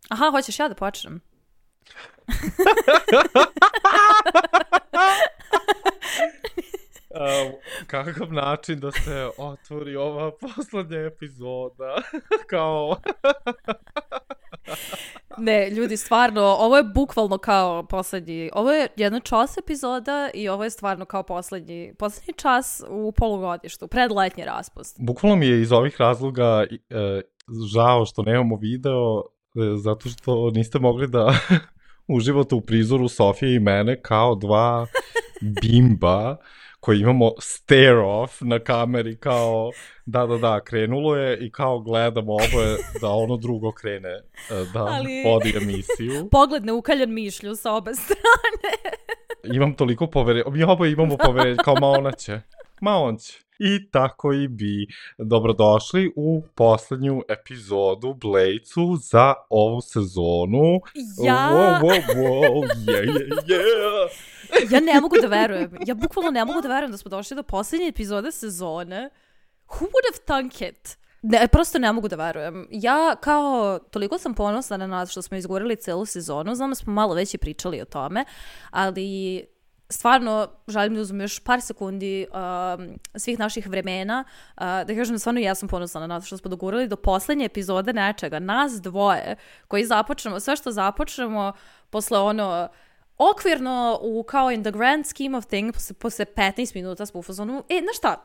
Aha, hoćeš ja da počnem? Kakav način da se otvori ova poslednja epizoda? Kao... Ne, ljudi, stvarno, ovo je bukvalno kao poslednji, ovo je jedna čas epizoda i ovo je stvarno kao poslednji čas u polugodištu, predletnji raspust. Bukvalno mi je iz ovih razloga žao što nemamo video, zato što niste mogli da uživate u prizoru Sofije i mene kao dva bimba koji imamo stare off na kameri, kao da, krenulo je i kao gledamo oboje da ono drugo krene da vodi emisiju. Pogled neukaljan mišlju sa obe strane. Imam toliko poverenja, mi oboje imamo poverenja, kao ma on će. I tako i bi. Dobrodošli u poslednju epizodu Blejcu za ovu sezonu. Ja ne mogu da verujem. Ja bukvalno ne mogu da verujem da smo došli do poslednje epizode sezone. Who would have thunk it? Ne, prosto ne mogu da verujem. Ja kao, toliko sam ponosna na nas što smo izgurili celu sezonu. Znam da smo malo već i pričali o tome, ali... Stvarno, želim da uzmem još par sekundi svih naših vremena, da kažem da stvarno ja sam ponosna na nas što smo dogurali do poslednje epizode nečega. Nas dvoje koji započnemo, sve što započnemo posle ono okvirno kao in the grand scheme of things, posle 15 minuta smo u fazonu, znaš šta,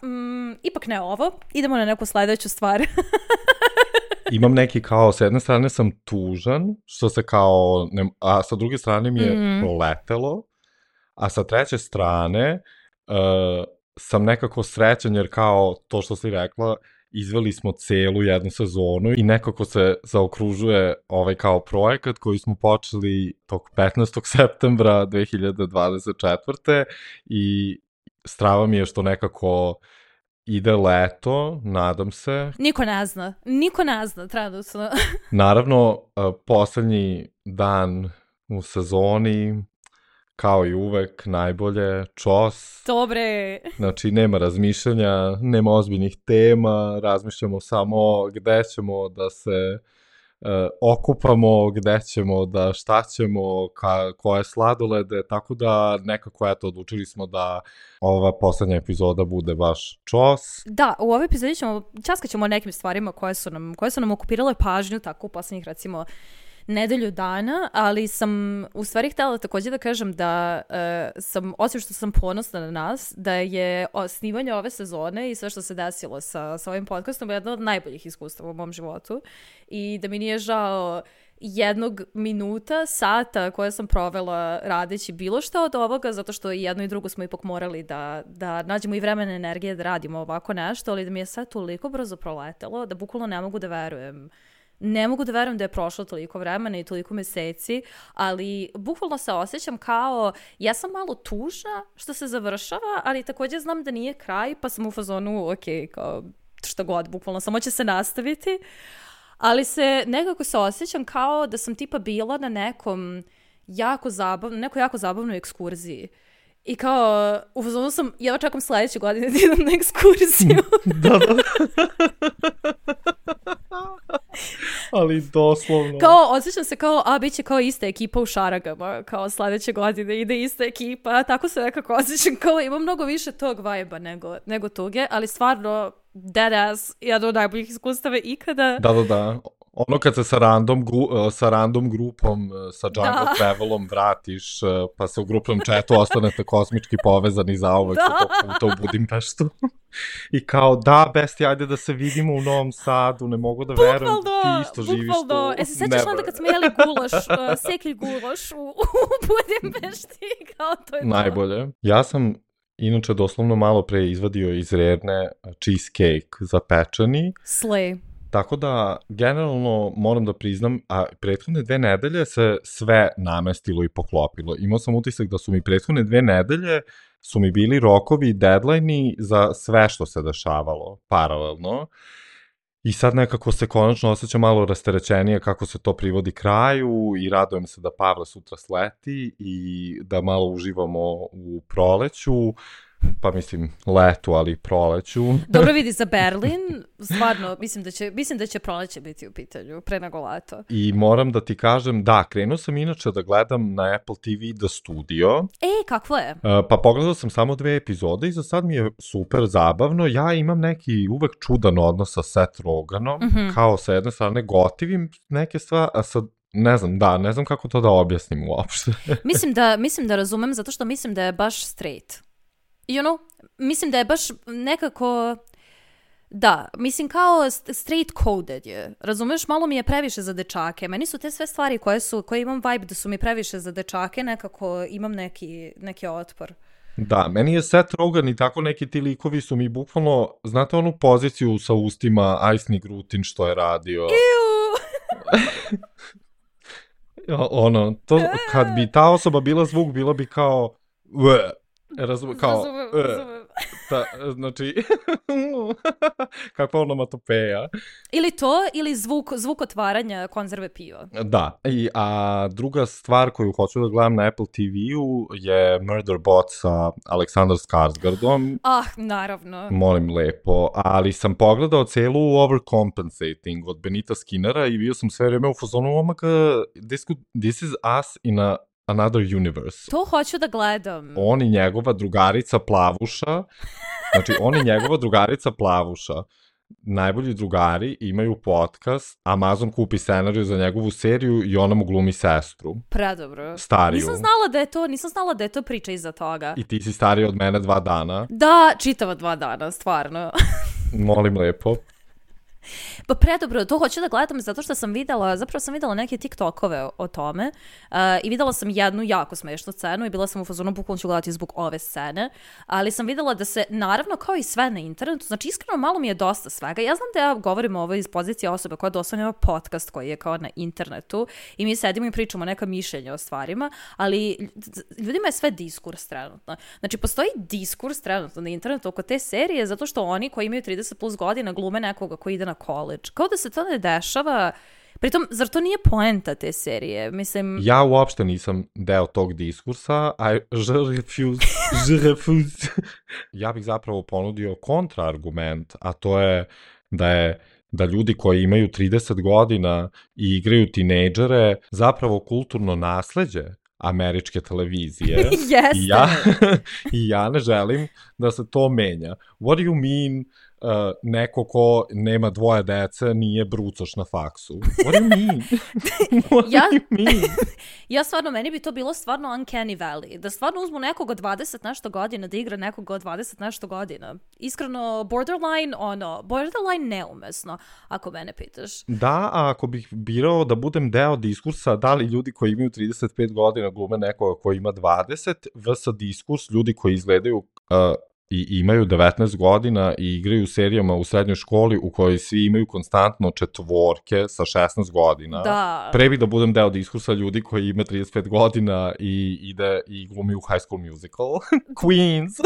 ipak ne ovo, idemo na neku sledeću stvar. Imam neki kao, s jedne strane sam tužan, što se kao, a sa druge strane mi je proletelo. A sa treće strane sam nekako srećan jer kao to što si rekla, izveli smo celu jednu sezonu i nekako se zaokružuje ovaj kao projekat koji smo počeli tog 15. septembra 2024. I strava mi je što nekako ide leto, nadam se. Niko ne zna, trenutno. Naravno, poslednji dan u sezoni, kao i uvek, najbolje, čos. Dobre. Znači, nema razmišljanja, nema ozbiljnih tema, razmišljamo samo gde ćemo da se okupamo, gde ćemo da šta ćemo, koje sladolede, tako da nekako, odlučili smo da ova poslednja epizoda bude baš čos. Da, u ovoj epizodi časkat ćemo o nekim stvarima koje su nam okupirale pažnju, tako u poslednjih, recimo, nedelju dana, ali sam u stvari htjela također da kažem da sam, osim što sam ponosna na nas, da je snimanje ove sezone i sve što se desilo sa ovim podcastom jedno od najboljih iskustava u mom životu i da mi nije žao jednog minuta, sata koje sam provela radeći bilo što od ovoga, zato što i jedno i drugo smo ipak morali da nađemo i vremena i energije da radimo ovako nešto, ali da mi je sve toliko brzo proletelo da bukvalno ne mogu da verujem. Ne mogu da verujem da je prošlo toliko vremena i toliko meseci, ali bukvalno se osjećam kao, ja sam malo tužna što se završava, ali također znam da nije kraj, pa sam u fazonu, ok, kao šta god, bukvalno samo će se nastaviti, ali nekako se osjećam kao da sam tipa bila na nekoj jako zabavnoj ekskurziji. I kao, u fazonu sam, ja čekam sledeće godine da idem na ekskurziju. Da. Ali doslovno. Kao, osjećam se kao, bit će kao ista ekipa u Šaragama, kao sledeće godine ide ista ekipa, tako se nekako osjećam, kao ima mnogo više tog vibe-a nego tuge, ali stvarno, deadass, jedno od najboljih iskustava ikada. Da. Ono kad se sa random grupom, sa Jungle Travelom vratiš, pa se u grupnom chatu ostanete kosmički povezani zauvek sa tog puta u Budimpeštu. I kao, Besti, ajde da se vidimo u Novom Sadu, ne mogu da verujem, ti isto živiš tu. Se sećaš onda kad smo jeli gulaš, sekli gulaš u Budimpešti, kao to je to. Najbolje. Ja sam inače doslovno malo pre izvadio iz Rerne cheesecake zapečeni. Slay. Tako da, generalno, moram da priznam, a prethodne 2 nedelje se sve namestilo i poklopilo. Imao sam utisak da su mi prethodne 2 nedelje su mi bili rokovi i deadline-i za sve što se dešavalo paralelno. I sad nekako se konačno osjeća malo rasterećenije kako se to privodi kraju i radujem se da Pavle sutra sleti i da malo uživamo u proleću. pa mislim letu, ali proleću. Dobro vidi za Berlin, stvarno, mislim da će proleće biti u pitanju, pre nego leto. I moram da ti kažem, da, krenuo sam inače da gledam na Apple TV The Studio. Kakvo je? Pa pogledao sam samo 2 epizode i za sad mi je super zabavno. Ja imam neki uvek čudan odnos sa Seth Rogenom, kao sa jedne strane gotivim neke stvari, a sad ne znam kako to da objasnim uopšte. Mislim da razumem, zato što mislim da je baš straight. Mislim da je baš nekako, da, mislim kao straight coded je, razumeš, malo mi je previše za dečake, meni su te sve stvari koje imam vibe da su mi previše za dečake, nekako imam neki otpor. Da, meni je Seth Rogen i tako neki ti likovi su mi bukvalno, znate onu poziciju sa ustima Aisni Grutin što je radio? To, kad bi ta osoba bila zvuk, bilo bi kao razumem. Znači, kakva onomatopeja. Ili to, ili zvuk otvaranja konzerve piva. Da, a druga stvar koju hoću da gledam na Apple TV-u je Murderbot sa Aleksandar Skarsgårdom. Naravno. Molim lepo, ali sam pogledao celu Overcompensating od Benita Skinnera i bio sam sve vreme u fazonu, this is us in another universe. To hoću da gledam. On i njegova drugarica Plavuša, najbolji drugari, imaju podcast, Amazon kupi scenariju za njegovu seriju i ona mu glumi sestru. Predobro. Stariju. Nisam znala da je to priča iza toga. I ti si stariji od mene 2 dana. Da, čitava 2 dana, stvarno. Molim lepo. Pa predobro, to hoću da gledam zato što sam videla neke TikTokove o tome i videla sam jednu jako smešnu scenu i bila sam u fazonu bukvalno ću gledati zbog ove scene, ali sam videla da se, naravno kao i sve na internetu, znači iskreno malo mi je dosta svega. Ja znam da ja govorim ovo iz pozicije osobe koja doslovno ima podcast koji je kao na internetu i mi sedimo i pričamo neka mišljenja o stvarima, ali ljudima je sve diskurs trenutno. Znači postoji diskurs trenutno na internetu oko te serije zato što oni koji imaju 30 plus godina glume nekoga koji ide na college. Kao da se to ne dešava. Pritom, zar to nije poenta te serije? Mislim... Ja uopšte nisam deo tog diskursa. Je refuse. Ja bih zapravo ponudio kontraargument, a to je da ljudi koji imaju 30 godina i igraju tinejdžere zapravo kulturno nasleđe američke televizije. I ja ne želim da se to menja. What do you mean neko ko nema 2 dece nije brucoš na faksu? What do you mean? Ja stvarno, meni bi to bilo stvarno uncanny valley. Da stvarno uzmu nekog od 20 nešto godina, da igra nekog od 20 nešto godina. Iskreno, borderline neumesno, ako mene pitaš. Da, a ako bih birao da budem deo diskursa, da li ljudi koji imaju 35 godina glume nekoga koji ima 20, vs. diskurs ljudi koji izgledaju i imaju 19 godina i igraju serijama u srednjoj školi u kojoj svi imaju konstantno 4 sa 16 godina. Da. Pre bi da budem deo diskursa ljudi koji ima 35 godina i ide i glumi u High School Musical. Queens!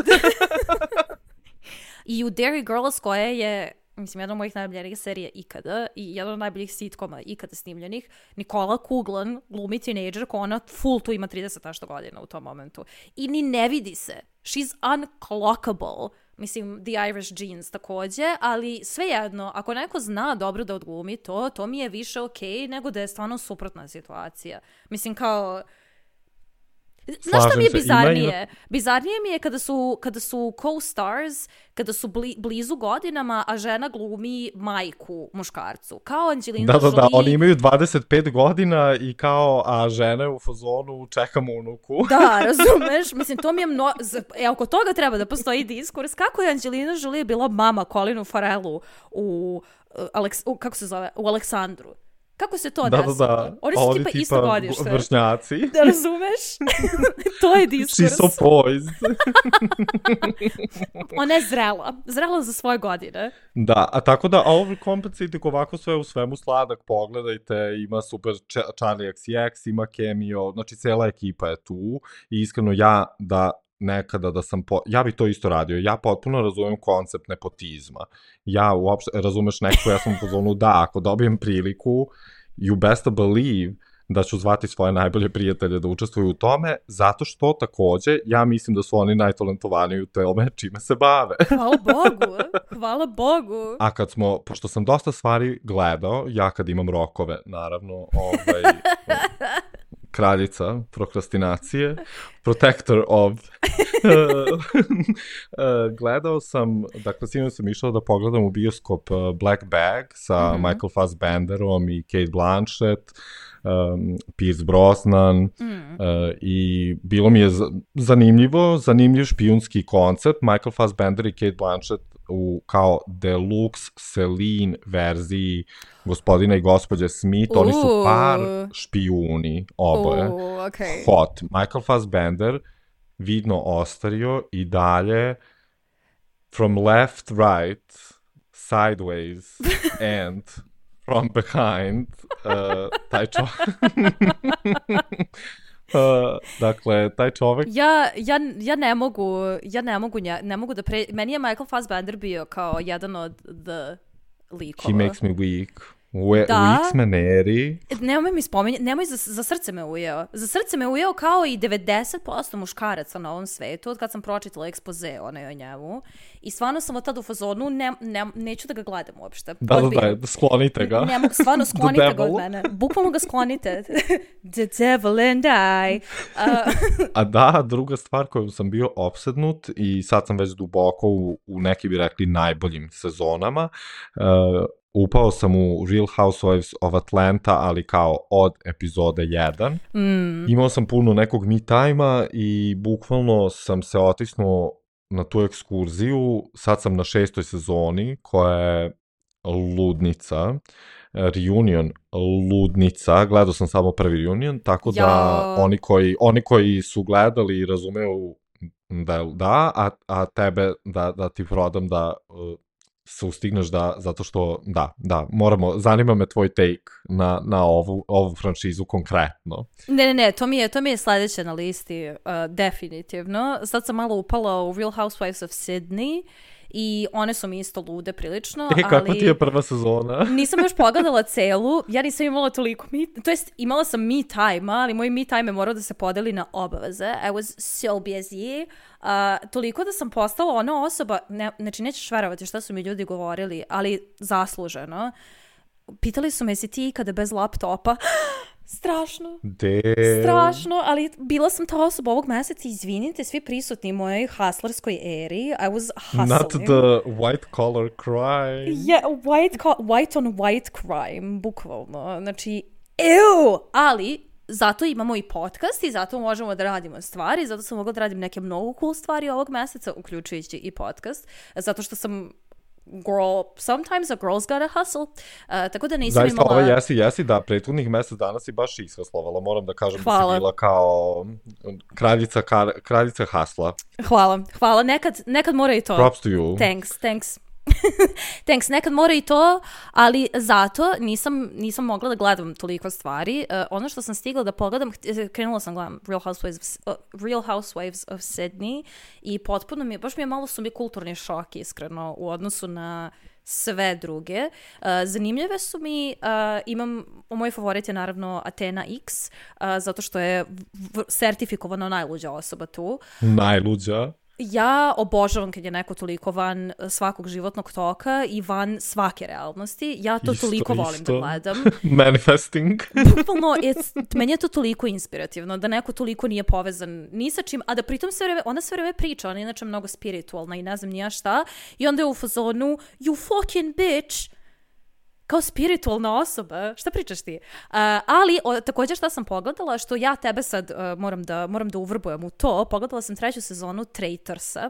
I u Derry Girls koja je, mislim, jedna od mojih najboljih serija ikada i jedna od najboljih sitkoma ikada snimljenih, Nikola Kuglan glumi teenager koja ona full tu ima 30 nešto godina u tom momentu. I ni ne vidi se. She's unclockable. Mislim, The Irish Genes takođe, ali svejedno, ako neko zna dobro da odglumi to mi je više okej nego da je stvarno suprotna situacija. Mislim, kao... Znaš šta mi je bizarnije? Bizarnije mi je kada su co-stars, kada su blizu godinama, a žena glumi majku muškarcu. Kao Angelina Jolie. Da, oni imaju 25 godina i kao, a žena je u fazonu čekam unuku. Da, razumeš? Mislim, to mi je oko toga treba da postoji diskurs. Kako je Angelina Jolie bila mama Colinu Farrellu u Aleksandru? Kako se to desilo? Da. Oni su tipa isto godište. Vršnjaci. Da razumeš? To je diskurs. She's so poised. Ona je zrela za svoje godine. Da, a tako da Overcompensating ovako sve u svemu sladak, pogledajte, ima super Charlie XCX, ima Cameo, znači cela ekipa je tu i iskreno nekada da sam, ja bih to isto radio, ja potpuno razumem koncept nepotizma, ja uopšte, razumeš nekako, ja sam u zonu da, ako dobijem priliku, you best believe da ću zvati svoje najbolje prijatelje da učestvuju u tome, zato što takođe ja mislim da su oni najtalentovaniji u tome čime se bave. Hvala Bogu. A kad smo, pošto sam dosta stvari gledao, ja kad imam rokove, naravno, kraljica prokrastinacije, protector of... gledao sam, dakle, sinoć sam išao da pogledam u bioskop Black Bag sa Michael Fassbenderom i Cate Blanchett, Pierce Brosnan, i bilo mi je zanimljiv špijunski koncept. Michael Fassbender i Cate Blanchett u kao deluxe Celine verziji Gospodina i gospođe Smith, oni su par špijuni, oboje. Okay. Hot. Michael Fassbender vidno ostario i dalje from left, right, sideways and from behind, taj čovjek. Dakle, taj čovjek... Ja ne mogu da meni je Michael Fassbender bio kao jedan od the likova. He makes me weak. U X-meneri. Nemoj mi spominjati, za srce me ujeo. Za srce me ujeo kao i 90% muškaraca na ovom svetu, od kad sam pročitala ekspoze o njemu. I stvarno sam od tada u fazonu, neću da ga gledam uopšte. Da, sklonite ga. Stvarno, sklonite ga od mene. Bukvalno ga sklonite. The devil and I. A da, druga stvar koju sam bio opsednut i sad sam već duboko u neki bi rekli najboljim sezonama, upao sam u Real Housewives of Atlanta, ali kao od epizode 1. Imao sam puno nekog me time-a i bukvalno sam se otisnuo na tu ekskurziju. Sad sam na 6. sezoni, koja je ludnica. Reunion ludnica. Gledao sam samo prvi reunion, tako da oni koji su gledali razumeju da, a tebe da ti prodam da... se ustigneš zato što, zanima me tvoj take na ovu franšizu konkretno. Ne, to mi je sledeće na listi, definitivno. Sad sam malo upala u Real Housewives of Sydney i one su mi isto lude prilično. Kako ti je prva sezona? Nisam još pogledala celu, ja nisam imala toliko imala sam me time, ali moj me time je morao da se podeli na obaveze. I was so busy. Toliko da sam postala ona osoba, znači nećeš verovati šta su mi ljudi govorili, ali zasluženo. Pitali su me, si ti ikada bez laptopa? Strašno. Strašno, ali bila sam ta osoba ovog meseca, izvinite svi prisutni u mojoj hustlerskoj eri. I was hustling. Not the white collar crime. Yeah, white on white crime, bukvalno. Znači, ali zato imamo i podcast i zato možemo da radimo stvari, zato sam mogla da radim neke mnogo cool stvari ovog meseca, uključujući i podcast, zato što sam sometimes a girl's gotta hustle. Tako da nisam zaista, imala... Zaista, jesi, da, prethodnih mesec dana si baš ishaslovala, moram da kažem. Hvala. Da si bila kao kraljica hasla. Hvala, nekad mora i to. Props to you. Thanks, nekad mora i to, ali zato nisam mogla da gledam toliko stvari. Ono što sam stigla da pogledam, krenula sam gledam Real Housewives of Sydney i potpuno baš mi je malo su mi kulturni šok, iskreno, u odnosu na sve druge. Zanimljive su mi, moj favorit je naravno Athena X, zato što je sertifikovano najluđa osoba tu. Najluđa? Ja obožavam kad je neko toliko van svakog životnog toka i van svake realnosti. Ja to toliko volim da gledam. Manifesting. Bukvalno, meni je to toliko inspirativno, da neko toliko nije povezan ni sa čim, a da pritom ona sve vreme priča, ona je inače mnogo spiritualna i ne znam ni ja šta, i onda je u fazonu, you fucking bitch, kao spiritualna osoba, šta pričaš ti? Ali, također šta sam pogledala, što ja tebe sad moram da uvrbujem u to, pogledala sam 3. sezonu Traitorsa.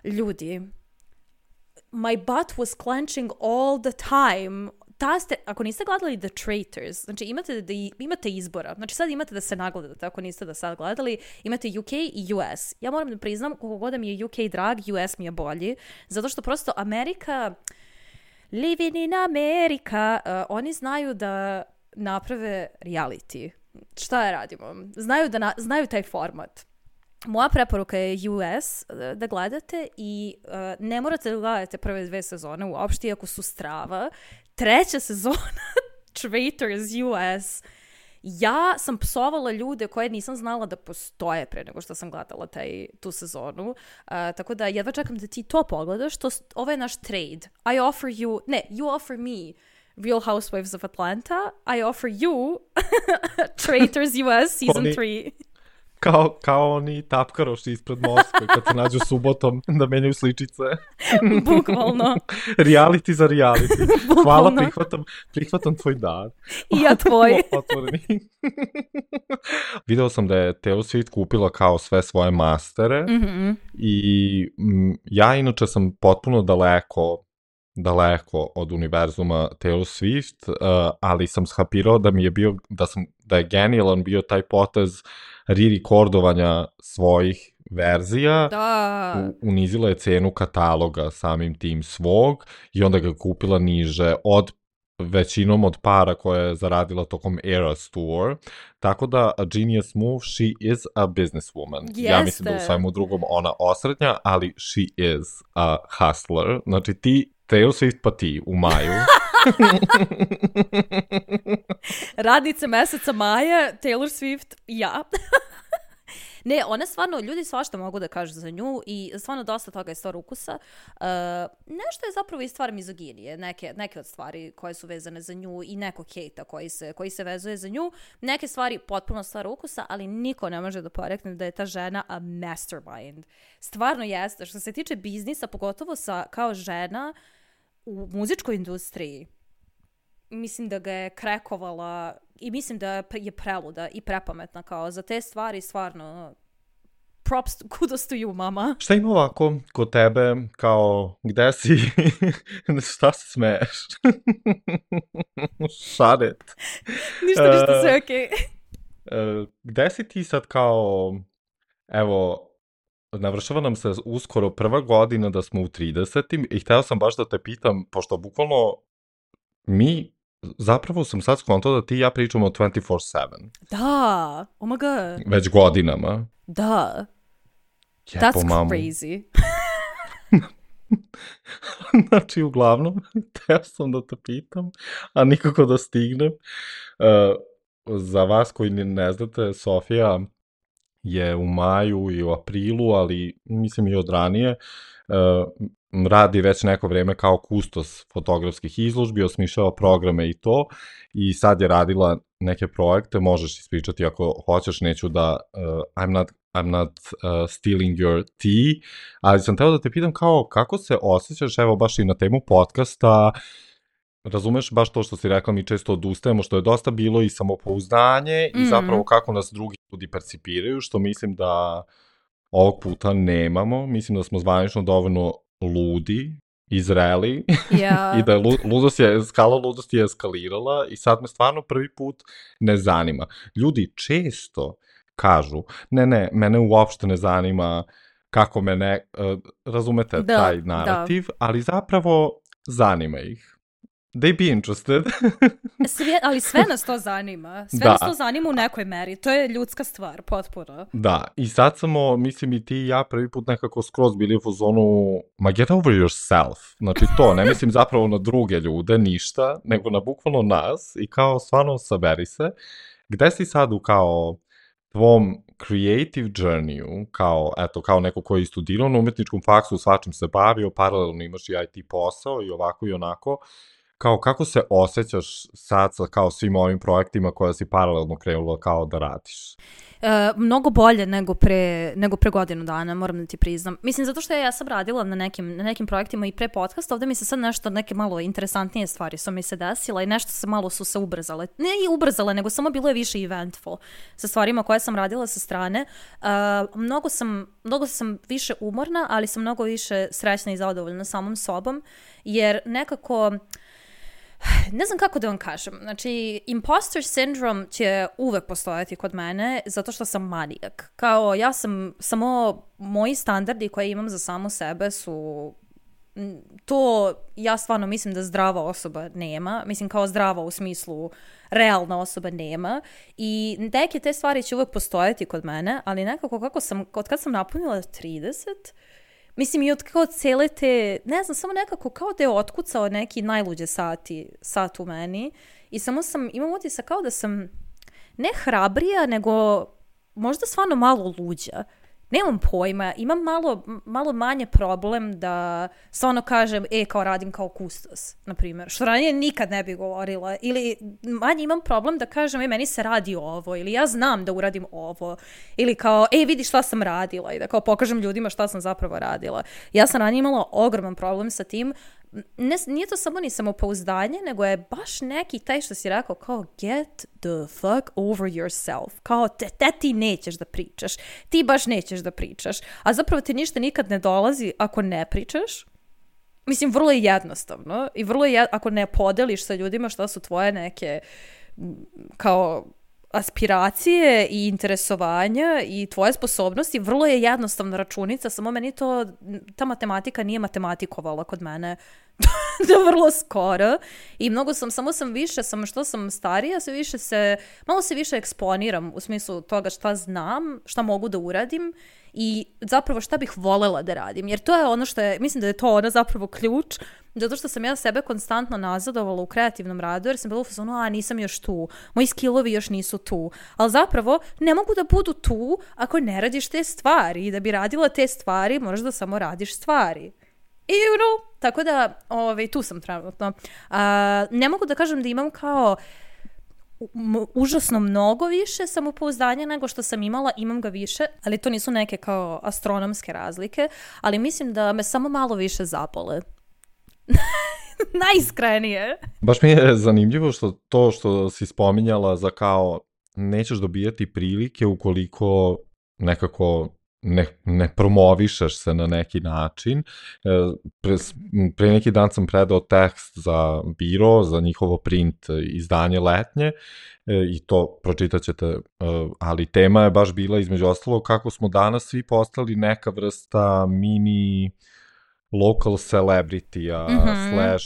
Ljudi, my butt was clenching all the time. Ako niste gledali The Traitors, znači imate izbora, znači sad imate da se nagledate, ako niste da sad gledali, imate UK i US. Ja moram da priznam, koliko god mi je UK drag, US mi je bolji, zato što prosto Amerika... Living in America, oni znaju da naprave reality. Šta je radimo? Znaju taj format. Moja preporuka je US da gledate i ne morate da gledate prve 2 sezone uopšte, iako su strava. 3. sezona Traitors US Ja sam psovala ljude koje nisam znala da postoje pre nego što sam gledala tu sezonu. Tako da jedva čekam da ti to pogledaš. Ovo je naš trade. You offer me Real Housewives of Atlanta. I offer you Traitors US season 3. Kao oni tapkaroši ispred Moskve kad se nađu subotom da menjaju sličice. Bukvalno. Reality za reality. Hvala, prihvatam tvoj dar. I ja tvoj. Video sam da je Taylor Swift kupila kao sve svoje mastere i ja inače sam potpuno daleko od univerzuma Taylor Swift, ali sam shapirao da je genijalan bio taj potez re-recordovanja svojih verzija. Da. Unizila je cenu kataloga samim tim svog i onda ga kupila niže većinom od para koje je zaradila tokom Eras Tour. Tako da, a genius move, she is a businesswoman. Ja mislim da u svemu drugom ona osrednja, ali she is a hustler. Znači ti, Taylor Swift pa ti u maju. Radnice meseca maja, Taylor Swift, ja. Ne, ona stvarno, ljudi svašta mogu da kažu za nju i stvarno dosta toga je stvar ukusa. Nešto je zapravo i stvar mizoginije, neke od stvari koje su vezane za nju i nekog hejta koji se vezuje za nju. Neke stvari potpuno stvar ukusa, ali niko ne može da porekne da je ta žena a mastermind. Stvarno jeste, što se tiče biznisa, pogotovo kao žena u muzičkoj industriji, mislim da ga je krekovala i mislim da je preluda i prepametna kao za te stvari, stvarno kudos to you, mama. Šta ima ovako kod tebe, kao gde si, šta se smeješ? Šaret. Ništa, sve okej. Gde si ti sad kao, evo, navršava nam se uskoro prva godina da smo u 30. i hteo sam baš da te pitam, pošto bukvalno zapravo sam sad skontao da ti i ja pričamo o 24/7. Da, oh my god. Već godinama. Da. That's crazy. Znači, uglavnom, teo sam da te pitam, a nikako da stignem. Za vas koji ne znate, Sofija je u maju i u aprilu, ali mislim i od ranije, radi već neko vreme kao kustos fotografskih izložbi, osmišljava programe i to, i sad je radila neke projekte, možeš ispričati ako hoćeš, neću da I'm not stealing your tea, ali sam teo da te pitam kao kako se osjećaš, evo baš i na temu podcasta, razumeš baš to što si rekla, mi često odustajemo, što je dosta bilo i samopouzdanje i zapravo kako nas drugi ljudi percipiraju, što mislim da ovog puta nemamo, mislim da smo zvanično dovoljno ludi i zreli i da je skala ludosti je eskalirala i sad me stvarno prvi put ne zanima. Ljudi često kažu, ne, mene uopšte ne zanima kako razumete taj narativ, ali zapravo zanima ih. They be interested. Ali sve nas to zanima. Sve nas to zanima u nekoj meri. To je ljudska stvar, potpuno. Da, i sad samo, mislim i ti i ja prvi put nekako skroz bili u fazonu, get over yourself. Znači to, ne mislim zapravo na druge ljude, ništa, nego na bukvalno nas i kao stvarno saberi se. Gde si sad u kao tvom creative journeyu, kao neko koji je studirao na umetničkom faksu, svačim se bavio, paralelno imaš i IT posao i ovako i onako, kao kako se osjećaš sad sa kao svim ovim projektima koje si paralelno krenula kao da radiš? Mnogo bolje nego pre godinu dana, moram da ti priznam. Mislim, zato što ja sam radila na nekim projektima i pre podcasta, ovde mi se sad neke malo interesantnije stvari su mi se desile i nešto su se ubrzale. Ne i ubrzale, nego samo bilo je više eventful sa stvarima koje sam radila sa strane. Mnogo sam više umorna, ali sam mnogo više srećna i zadovoljna samom sobom, jer nekako ne znam kako da vam kažem. Znači, imposter syndrome će uvek postojati kod mene zato što sam manijak. Kao, ja sam samo, moji standardi koje imam za samu sebe su to, ja stvarno mislim da zdrava osoba nema. Mislim, kao zdrava u smislu realna osoba nema. I neke te stvari će uvek postojati kod mene, ali nekako od kad sam napunila 30, mislim i od kao cele te, ne znam, samo nekako kao da je otkucao neki najluđe sat u meni i samo imam utisak kao da sam ne hrabrija, nego možda stvarno malo luđa. Nemam pojma, imam malo manje problem da stvarno kažem, kao radim kao kustos, na primjer, što ranije nikad ne bi govorila, ili manje imam problem da kažem, meni se radi ovo, ili ja znam da uradim ovo, ili kao, vidi šta sam radila, i da kao pokažem ljudima šta sam zapravo radila. Ja sam ranije imala ogroman problem sa tim. Nije to samo ni samopouzdanje, nego je baš neki taj što si rekao kao get the fuck over yourself. Kao ti nećeš da pričaš. Ti baš nećeš da pričaš. A zapravo ti ništa nikad ne dolazi ako ne pričaš. Mislim, vrlo je jednostavno. I vrlo je ako ne podeliš sa ljudima šta su tvoje neke kao aspiracije i interesovanja i tvoje sposobnosti, vrlo je jednostavna računica, samo meni ta matematika nije matematikovala kod mene do vrlo skoro i što sam starija, malo se više eksponiram u smislu toga šta znam, šta mogu da uradim i zapravo šta bih volela da radim, jer to je ono mislim da je to ono zapravo ključ, zato što sam ja sebe konstantno nazadovala u kreativnom radu, jer sam bila u fazonu, nisam još tu, moji skillovi još nisu tu, ali zapravo ne mogu da budu tu ako ne radiš te stvari, i da bi radila te stvari moraš da samo radiš stvari. I tako da tu sam trenutno. Ne mogu da kažem da imam kao užasno mnogo više samopouzdanja nego što sam imam ga više, ali to nisu neke kao astronomske razlike, ali mislim da me samo malo više zapale. Najiskrenije. Baš mi je zanimljivo što si spominjala za kao nećeš dobijati prilike ukoliko nekako ne promovišeš se na neki način. Pre neki dan sam predao tekst za biro, za njihovo print izdanje letnje i to pročitat ćete, ali tema je baš bila između ostalog kako smo danas svi postali neka vrsta mini local celebrity-a,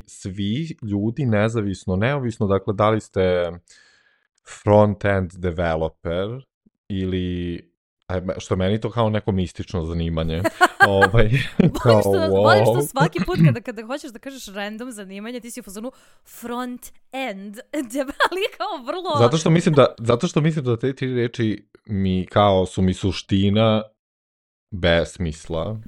svi ljudi neovisno, dakle, da li ste front-end developer ili što meni to kao neko mistično zanimanje. Volim što svaki put kada hoćeš da kažeš random zanimanje, ti si u fazonu front-end, ali kao vrlo... Zato što mislim da te tri reči su mi suština bez smisla,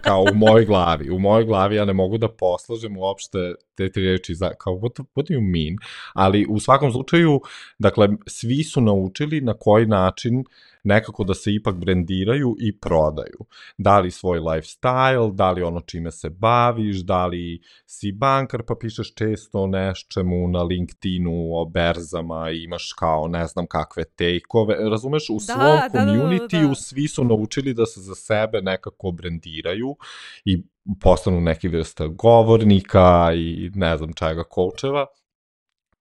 kao u mojoj glavi. U mojoj glavi ja ne mogu da poslažem uopšte te tri reči kao what do you mean? Ali u svakom slučaju, dakle, svi su naučili na koji način nekako da se ipak brendiraju i prodaju. Da li svoj lifestyle, da li ono čime se baviš, da li si bankar pa pišeš često o nečemu na LinkedInu, o berzama i imaš kao ne znam kakve take-ove. Razumeš, u svom community-u svi su naučili da se za sebe nekako brendiraju i postanu neki vrsta govornika i ne znam čega, coacheva.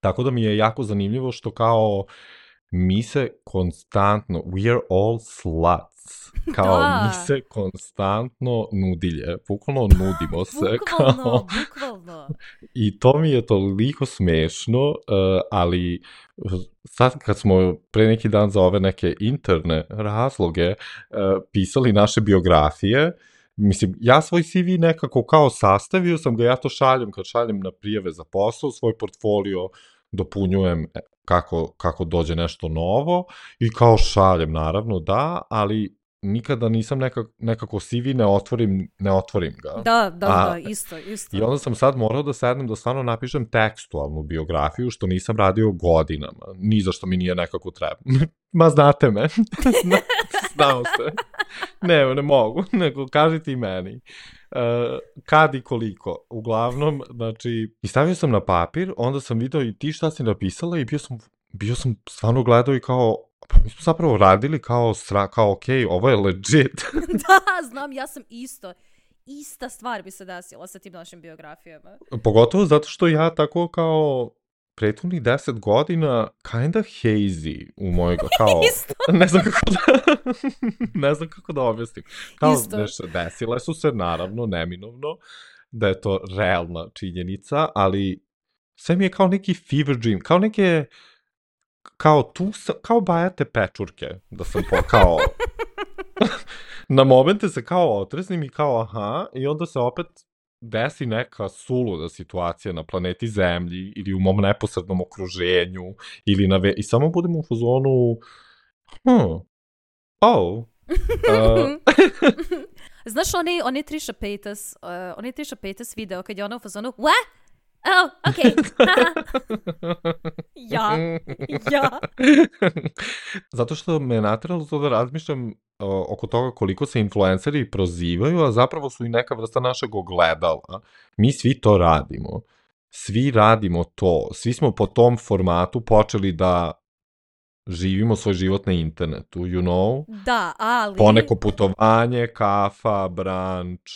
Tako da mi je jako zanimljivo što kao mi se konstantno, we are all sluts, kao mi se konstantno nudilje, bukvalno nudimo se. Bukvalno. I to mi je toliko smešno, ali sad kad smo pre neki dan za ove neke interne razloge pisali naše biografije, mislim, ja svoj CV nekako kao sastavio sam ga, ja to šaljem kad šaljem na prijave za posao, svoj portfolio dopunjujem kako dođe nešto novo i kao šaljem, naravno, da, ali nikada nisam nekako CV ne otvorim ga. Da, isto. I onda sam sad morao da sednem da stvarno napišem tekstualnu biografiju, što nisam radio godinama. Ni za što mi nije nekako treba. Ma znate me. Znao se. Ne mogu, nego kažite i meni. Kad i koliko. Uglavnom, znači, i stavio sam na papir, onda sam video i ti šta si napisala i bio sam stvarno gledao i kao, pa mi smo zapravo radili kao okej, ovo je legit. Da, znam, ja sam ista stvar bi se desila sa tim našim biografijama. Pogotovo zato što ja tako kao prethodnih 10 godina kinda hazy u mojoj, kao, ne znam kako da objasnim. Kao, desile su se, naravno, neminovno, da je to realna činjenica, ali sve mi je kao neki fever dream, kao neke, kao bajate pečurke, da sam kao, na momente se kao otresnim i kao aha, i onda se opet desi neka suluda situacija na planeti Zemlji ili u mom neposrednom okruženju ili i samo budemo u fazonu Znaš oni Trisha Paytas video kad je ona u fazonu what? Oh, okay. Ja. Zato što me nateralo to da razmišljam oko toga koliko se influenceri prozivaju, a zapravo su i neka vrsta našeg ogledala. Mi svi to radimo. Svi radimo to. Svi smo po tom formatu počeli da živimo svoj život na internetu, you know? Da, ali... Poneko putovanje, kafa, branč...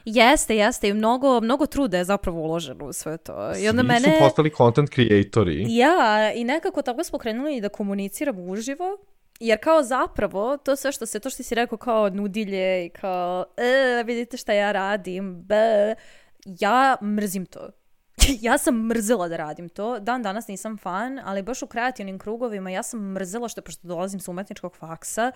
Jeste i mnogo truda je zapravo uloženo u sve to. I onda Svi su postali content creatori. Ja, i nekako tako smo krenuli i da komuniciramo uživo, jer kao zapravo to sve što ti si rekao kao nudilje i kao vidite šta ja radim, ja mrzim to. Ja sam mrzela da radim to. Dan danas nisam fan, ali baš u kreativnim krugovima ja sam mrzela pošto dolazim sa umetničkog faksa.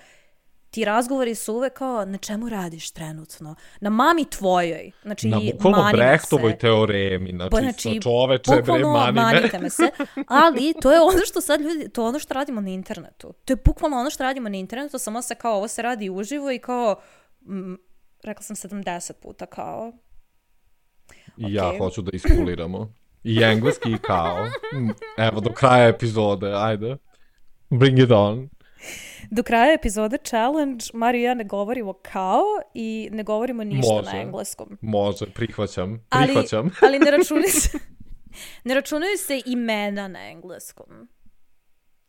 Ti razgovori su uvek kao, na čemu radiš trenutno? Na mami tvojoj. Znači, na bukvalno Brechtovoj teoremi. Znači čoveče, bre, manite me se. Ali to je ono što sad ljudi, to je ono što radimo na internetu. To je bukvalno ono što radimo na internetu, samo se kao, ovo se radi uživo i kao, rekla sam 70 puta kao. I ja hoću da iskuliramo. I engleski i kao. Evo, do kraja epizode, ajde. Bring it on. Do kraja epizode challenge, Mario i ja ne govorimo kao i ne govorimo ništa na engleskom. Može, prihvaćam. Ali ne računaju se imena na engleskom.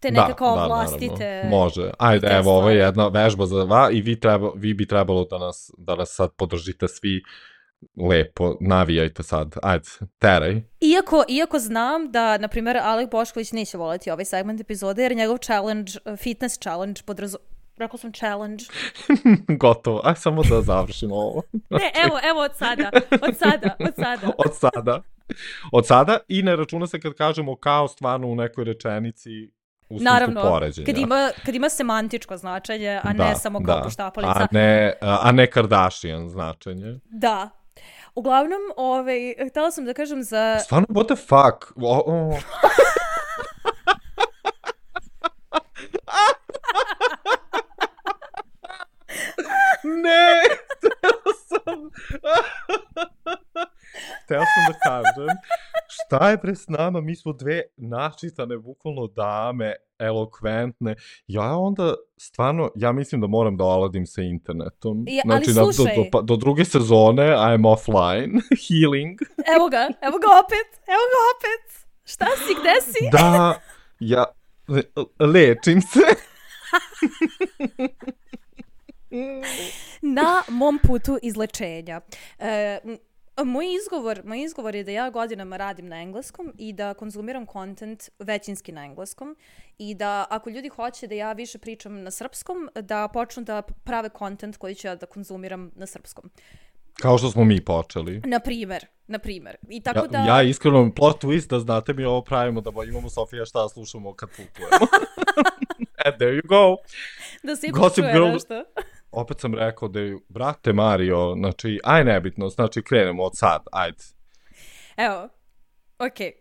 Te neke kao vlastite... Naravno. Može. Ajde, evo, ovo je jedna vežba za vas i vi bi trebalo da nas sad podržite svi lepo, navijajte sad, ajde, teraj. Iako znam da, na primjer, Alek Bošković neće voleti ovaj segment epizode, jer njegov challenge, fitness challenge, rekao sam challenge. Gotovo, aj samo da završimo ovo. Ne, evo Od sada i ne računa se kad kažemo kao stvarno u nekoj rečenici u smislu poređenja. Kad ima semantičko značenje, a ne samo kao poštapalica. A ne Kardashian značenje. Da. Uglavnom, htjela sam da kažem za... Stvarno, what the fuck? Ne! Hteo sam da kažem, šta je pre s nama? Mi smo dve načitane, bukvalno dame, elokventne. Ja onda, stvarno, ja mislim da moram da oladim sa internetom. Ali slušaj. Do druge sezone, I'm offline, healing. Evo ga opet. Šta si, gde si? Da, ja lečim se. Na mom putu izlečenja. Moj izgovor je da ja godinama radim na engleskom i da konzumiram content većinski na engleskom i da ako ljudi hoće da ja više pričam na srpskom, da počnu da prave content koji ću ja da konzumiram na srpskom. Kao što smo mi počeli. Na primer. I tako ja iskreno, plot twist, da znate mi ovo pravimo, da imamo Sofija šta slušamo kad putujemo. And there you go. Da se ipak čuje nešto. Opet sam rekao da je, brate Mario, znači, nebitno, znači krenemo od sad, ajde. Evo, okej.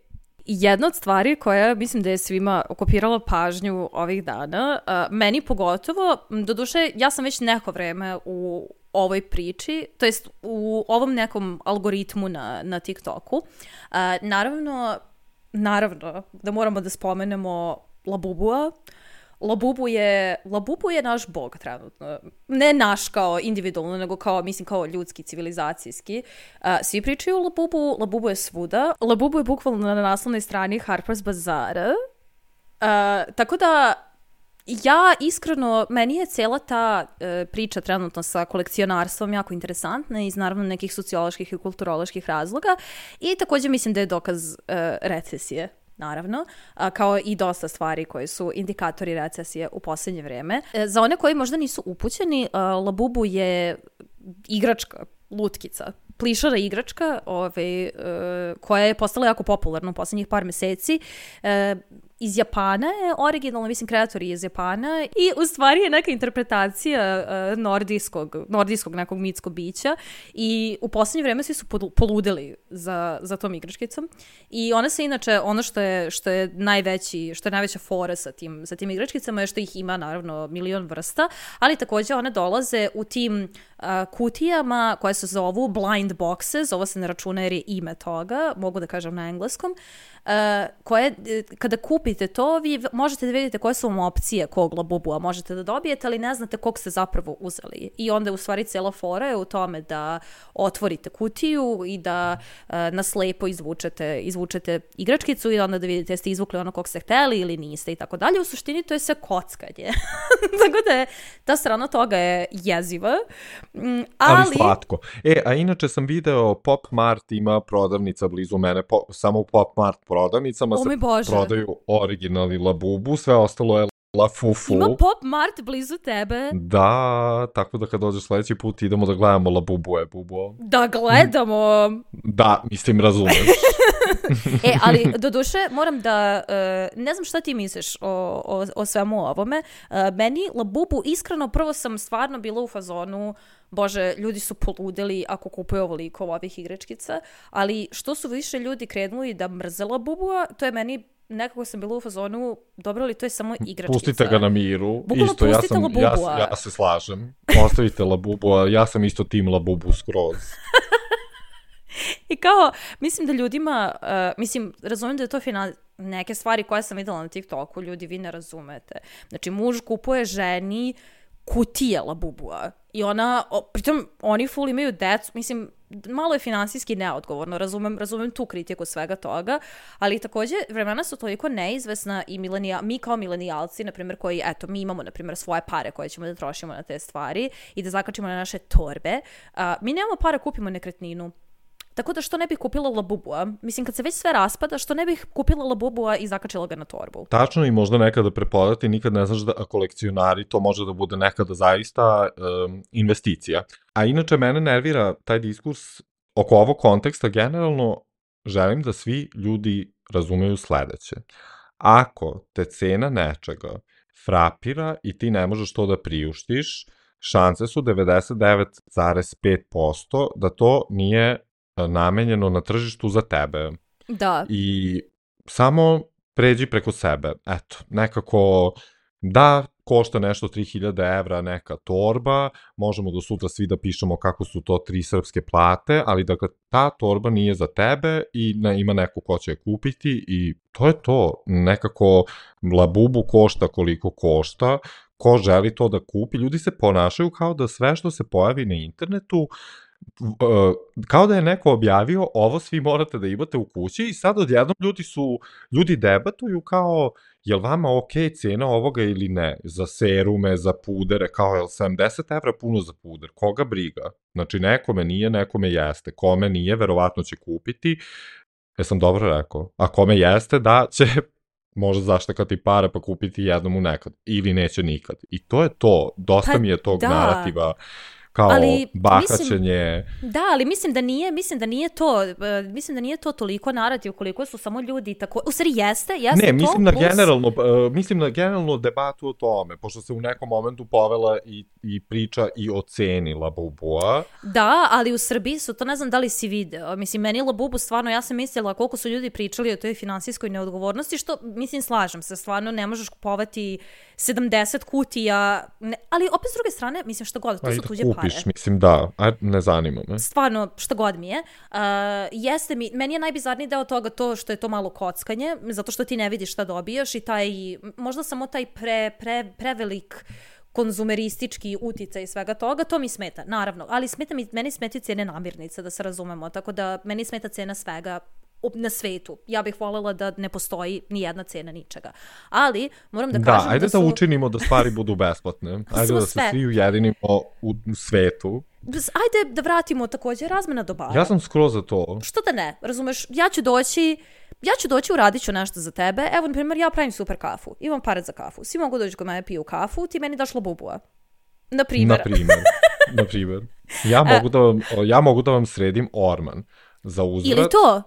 Jedna od stvari koja mislim da je svima okupirala pažnju ovih dana, meni pogotovo, doduše ja sam već neko vreme u ovoj priči, to jest u ovom nekom algoritmu na TikToku. Naravno, da moramo da spomenemo Labubua. Labubu je naš bog trenutno. Ne naš kao individualno, nego kao ljudski, civilizacijski. Svi pričaju o Labubu, Labubu je svuda. Labubu je bukvalno na naslovnoj strani Harper's Bazaara. Tako da ja iskreno, meni je cijela ta priča trenutno sa kolekcionarstvom jako interesantna iz naravno nekih socioloških i kulturoloških razloga i također mislim da je dokaz recesije. Naravno, kao i dosta stvari koje su indikatori recesije u posljednje vrijeme. Za one koji možda nisu upućeni, Labubu je igračka, lutkica, plišara igračka koja je postala jako popularna u posljednjih par mjeseci. iz Japana je originalno, mislim, kreator je iz Japana i u stvari je neka interpretacija nordijskog nekog mitskog bića i u posljednje vreme svi su poludeli za tom igračkicom i ona se inače, ono što je najveća fora sa tim igračkicama je što ih ima naravno milion vrsta, ali također one dolaze u tim kutijama koje se zovu blind boxes, ovo se ne računa jer je ime toga, mogu da kažem na engleskom, koje, kada kupite to, vi možete da vidite koje su vam opcije kog Labubua možete da dobijete, ali ne znate kog ste zapravo uzeli. I onda u stvari cijela fora je u tome da otvorite kutiju i da na slepo izvučete igračkicu i onda da vidite jeste izvukli ono kog ste hteli ili niste i tako dalje. U suštini to je sve kockanje. Tako da je ta strana toga je jeziva. Ali slatko. A inače sam video Pop Mart ima prodavnica blizu mene, samo u Pop Mart prodavnicama se prodaju originalni Labubu, sve ostalo je Lafufu. Ima Pop Mart blizu tebe? Da, tako da kad dođeš sledeći put idemo da gledamo Labubue, bubo. Da gledamo? Da, mislim, razumeš. Ali doduše moram da, ne znam šta ti misliš o svemu ovome, meni Labubu iskreno prvo sam stvarno bila u fazonu, bože, ljudi su poludeli ako kupuju ovoliko ovih igračkica, ali što su više ljudi krenuli da mrze Labubua, to je meni nekako sam bila u fazonu, dobro li to je samo igračkica. Pustite ga na miru. Bukvalno isto, pustite Labubua. Ja se slažem. Ostavite Labubua, ja sam isto tim Labubu skroz. I kao, mislim da ljudima, razumijem da je to neke stvari koje sam videla na TikToku, ljudi vi ne razumete. Znači, muž kupuje ženi kutije Labubua i pritom oni full imaju decu, mislim, malo je finansijski neodgovorno, razumem tu kritiku svega toga, ali također vremena su toliko neizvesna i mi kao milenijalci, na primjer, koji, mi imamo, na primjer, svoje pare koje ćemo da trošimo na te stvari i da zakačimo na naše torbe, mi nemamo para kupimo nekretninu. Tako da što ne bih kupila Labubua? Mislim, kad se već sve raspada, što ne bih kupila Labubua i zakačila ga na torbu? Tačno, i možda nekada prepodati, nikad ne znaš da kolekcionari, to može da bude nekada zaista investicija. A inače, mene nervira taj diskurs oko ovog konteksta. Generalno, želim da svi ljudi razumeju sledeće. Ako te cena nečega frapira i ti ne možeš to da priuštiš, šanse su 99,5% da to nije namenjeno na tržištu za tebe. Da. I samo pređi preko sebe. Eto, nekako da košta nešto 3000 evra neka torba, možemo do sutra svi da pišemo kako su to 3 srpske plate, ali dakle ta torba nije za tebe i ima neko ko će je kupiti i to je to. Nekako Labubu košta koliko košta, ko želi to da kupi, ljudi se ponašaju kao da sve što se pojavi na internetu kao da je neko objavio ovo svi morate da imate u kući i sad odjednom ljudi debatuju kao jel vama ok cena ovoga ili ne, za serume, za pudere, kao jel 70 evra puno za puder, koga briga, znači nekome nije, nekome jeste, kome nije, verovatno će kupiti, jesam dobro rekao, a kome jeste da će možda zaštakati para pa kupiti jednomu nekad, ili neće nikad, i to je to, dosta mi je tog narativa, kao bahaćenje. Ali mislim da nije to toliko narativ koliko su samo ljudi tako, u stvari jeste ne, mislim na generalno debatu o tome, pošto se u nekom momentu povela i priča i o ceni Labubua. Da, ali u Srbiji su, to ne znam da li si video, mislim, meni Labubu stvarno, ja sam mislila koliko su ljudi pričali o toj finansijskoj neodgovornosti, što, mislim, slažem se, stvarno ne možeš kupovati 70 kutija, ali opet s druge strane, mislim, što god, to su tuđe pare. Mislim, da, ne zanima me. Stvarno, što god mi je. Meni je najbizarniji deo toga to što je to malo kockanje, zato što ti ne vidiš šta dobijaš i možda samo taj prevelik konzumeristički uticaj i svega toga, to mi smeta, naravno. Ali meni smeta cene namirnica, da se razumemo, tako da meni smeta cena svega na svetu. Ja bih voljela da ne postoji ni jedna cena ničega. Ali, moram da kažem ajde da učinimo da stvari budu besplatne. Ajde da se svi ujedinimo u svetu. Ajde da vratimo također razmena dobara. Ja sam skroz za to. Što da ne? Razumeš, ja ću doći, uradit ću nešto za tebe. Evo, na primjer, ja pravim super kafu. Imam pare za kafu. Svi mogu doći kod mene piju kafu, ti meni daš Labubua. Na primjer. Ja mogu da vam sredim orman. Za uzvrat. Ili to?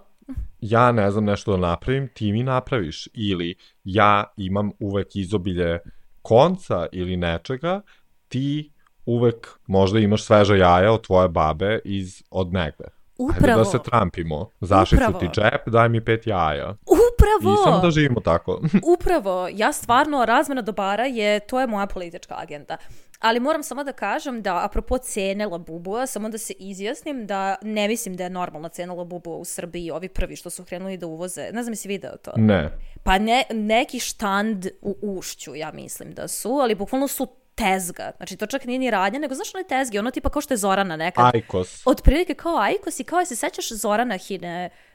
ja ne znam nešto da napravim, ti mi napraviš. Ili ja imam uvek izobilje konca ili nečega, ti uvek možda imaš sveža jaja od tvoje babe od negde. Upravo. Hajde da se trampimo. Zašicu ti džep, daj mi 5 jaja. Upravo. I samo da živimo tako. Upravo. Ja stvarno, razmena dobara to je moja politička agenda. Ali moram samo da kažem da, apropo cene Labubua, samo da se izjasnim da ne mislim da je normalna cena Labubua u Srbiji, ovi prvi što su krenuli da uvoze. Ne znam si video to? Ne. Pa neki štand u Ušću, ja mislim da su, ali bukvalno su tezga. Znači, to čak nije ni radnja, nego znaš onaj tezgi, ono tipa kao što je Zorana nekad. Ajkos. Otprilike kao Ajkos i kao se sećaš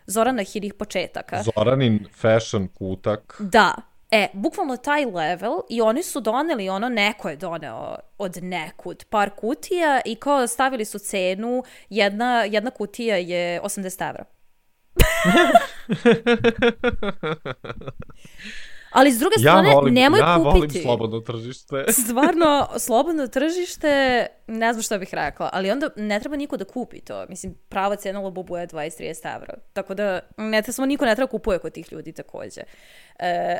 Zoranahinih početaka. Zoranin fashion kutak. Da. Bukvalno taj level i oni su doneli neko je doneo od nekud par kutija i kao stavili su cenu, jedna kutija je 80 evra. Ali s druge strane, nemoj kupiti. Ja volim slobodno tržište. Stvarno, slobodno tržište, ne znam šta bih rekla, ali onda ne treba niko da kupi to. Mislim, prava cena Labubu je 20-30 evra. Tako da, samo niko ne treba kupuje kod tih ljudi takođe.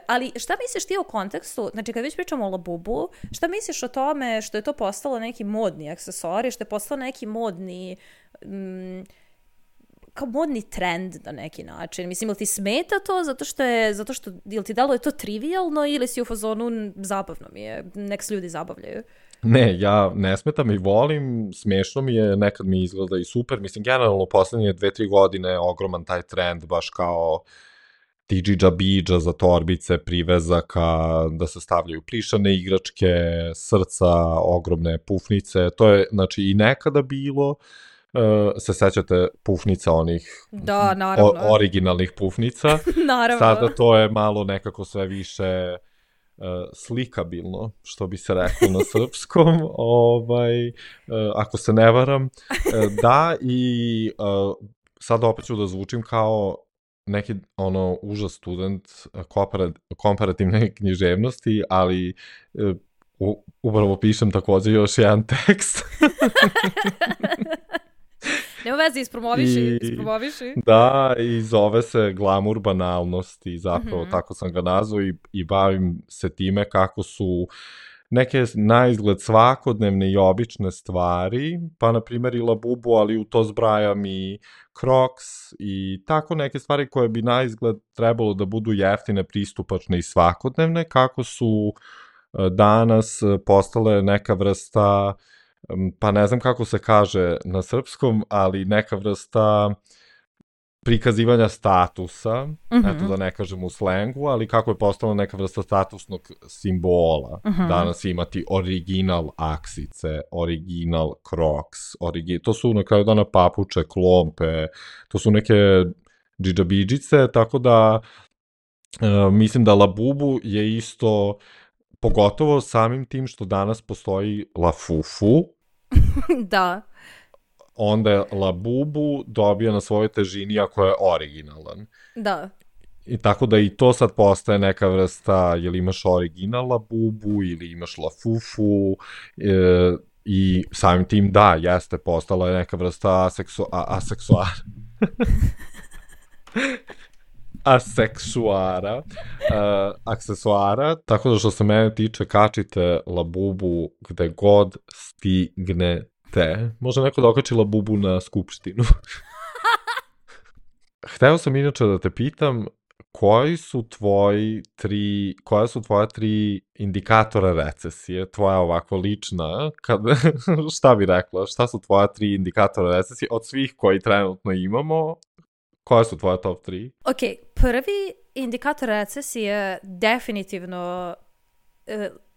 Ali šta misliš ti o kontekstu, znači kad već pričamo o Labubu, šta misliš o tome što je to postalo neki modni aksesuar i što je postalo neki modni... kao modni trend na neki način. Mislim, ili ti smeta to zato što ili ti dalo je to trivialno ili si u fazonu zabavno mi je, nek se ljudi zabavljaju? Ne, ja ne smetam i volim, smešno mi je, nekad mi izgleda i super. Mislim, generalno poslednje 2-3 godine ogroman taj trend, baš kao tidžidža bidža za torbice, privezaka, da se stavljaju plišane igračke, srca, ogromne pufnice. To je, znači, i nekada bilo. Se sećate pufnica onih originalnih pufnica. Naravno. Sada to je malo nekako sve više slikabilno, što bi se reklo na srpskom, ako se ne varam. Da, i sad opet ću da zvučim kao neki užas student komparativne književnosti, ali upravo pišem takođe još jedan tekst. Nema veze, ispromoviši. Da, i zove se Glamur banalnosti, zapravo tako sam ga nazvao i bavim se time kako su neke naizgled svakodnevne i obične stvari, pa na primjer i Labubu, ali u to zbrajam i Crocs i tako neke stvari koje bi naizgled trebalo da budu jeftine, pristupačne i svakodnevne, kako su danas postale neka vrsta, pa ne znam kako se kaže na srpskom, ali neka vrsta prikazivanja statusa, eto da ne kažem u slengu, ali kako je postala neka vrsta statusnog simbola. Danas imati original aksice, original Crocs, to su na kraju dana papuče, klompe, to su neke džidžabidžice, tako da mislim da Labubu je isto, pogotovo samim tim što danas postoji Lafufu. Da. Onda je Labubu dobija na svojoj težini ako je originalan. Da. I tako da i to sad postaje neka vrsta, jel imaš original Labubu ili imaš Lafufu, i samim tim da, jeste, postala je neka vrsta aksesuara, tako da što se mene tiče, kačite Labubu gde god stignete. Može neko da okači Labubu na skupštinu. Hteo sam inače da te pitam, koja su tvoja 3 indikatora recesije, tvoja ovako lična, šta bi rekla, šta su tvoja 3 indikatora recesije od svih koji trenutno imamo? Koja su tvoja top 3? Ok, prvi indikator recesije definitivno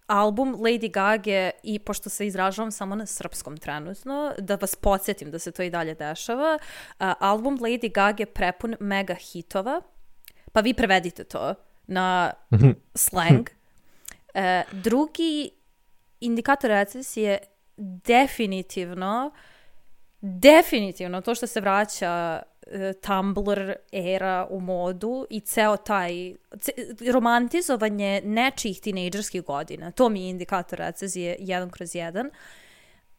album Lady Gaga i pošto se izražavam samo na srpskom trenutno, da vas podsjetim da se to i dalje dešava, album Lady Gaga prepun mega hitova, pa vi prevedite to na slang. Drugi indikator recesije definitivno to što se vraća Tumblr era u modu i ceo taj romantizovanje nečijih tinejdžerskih godina. To mi je indikator recesije 1/1.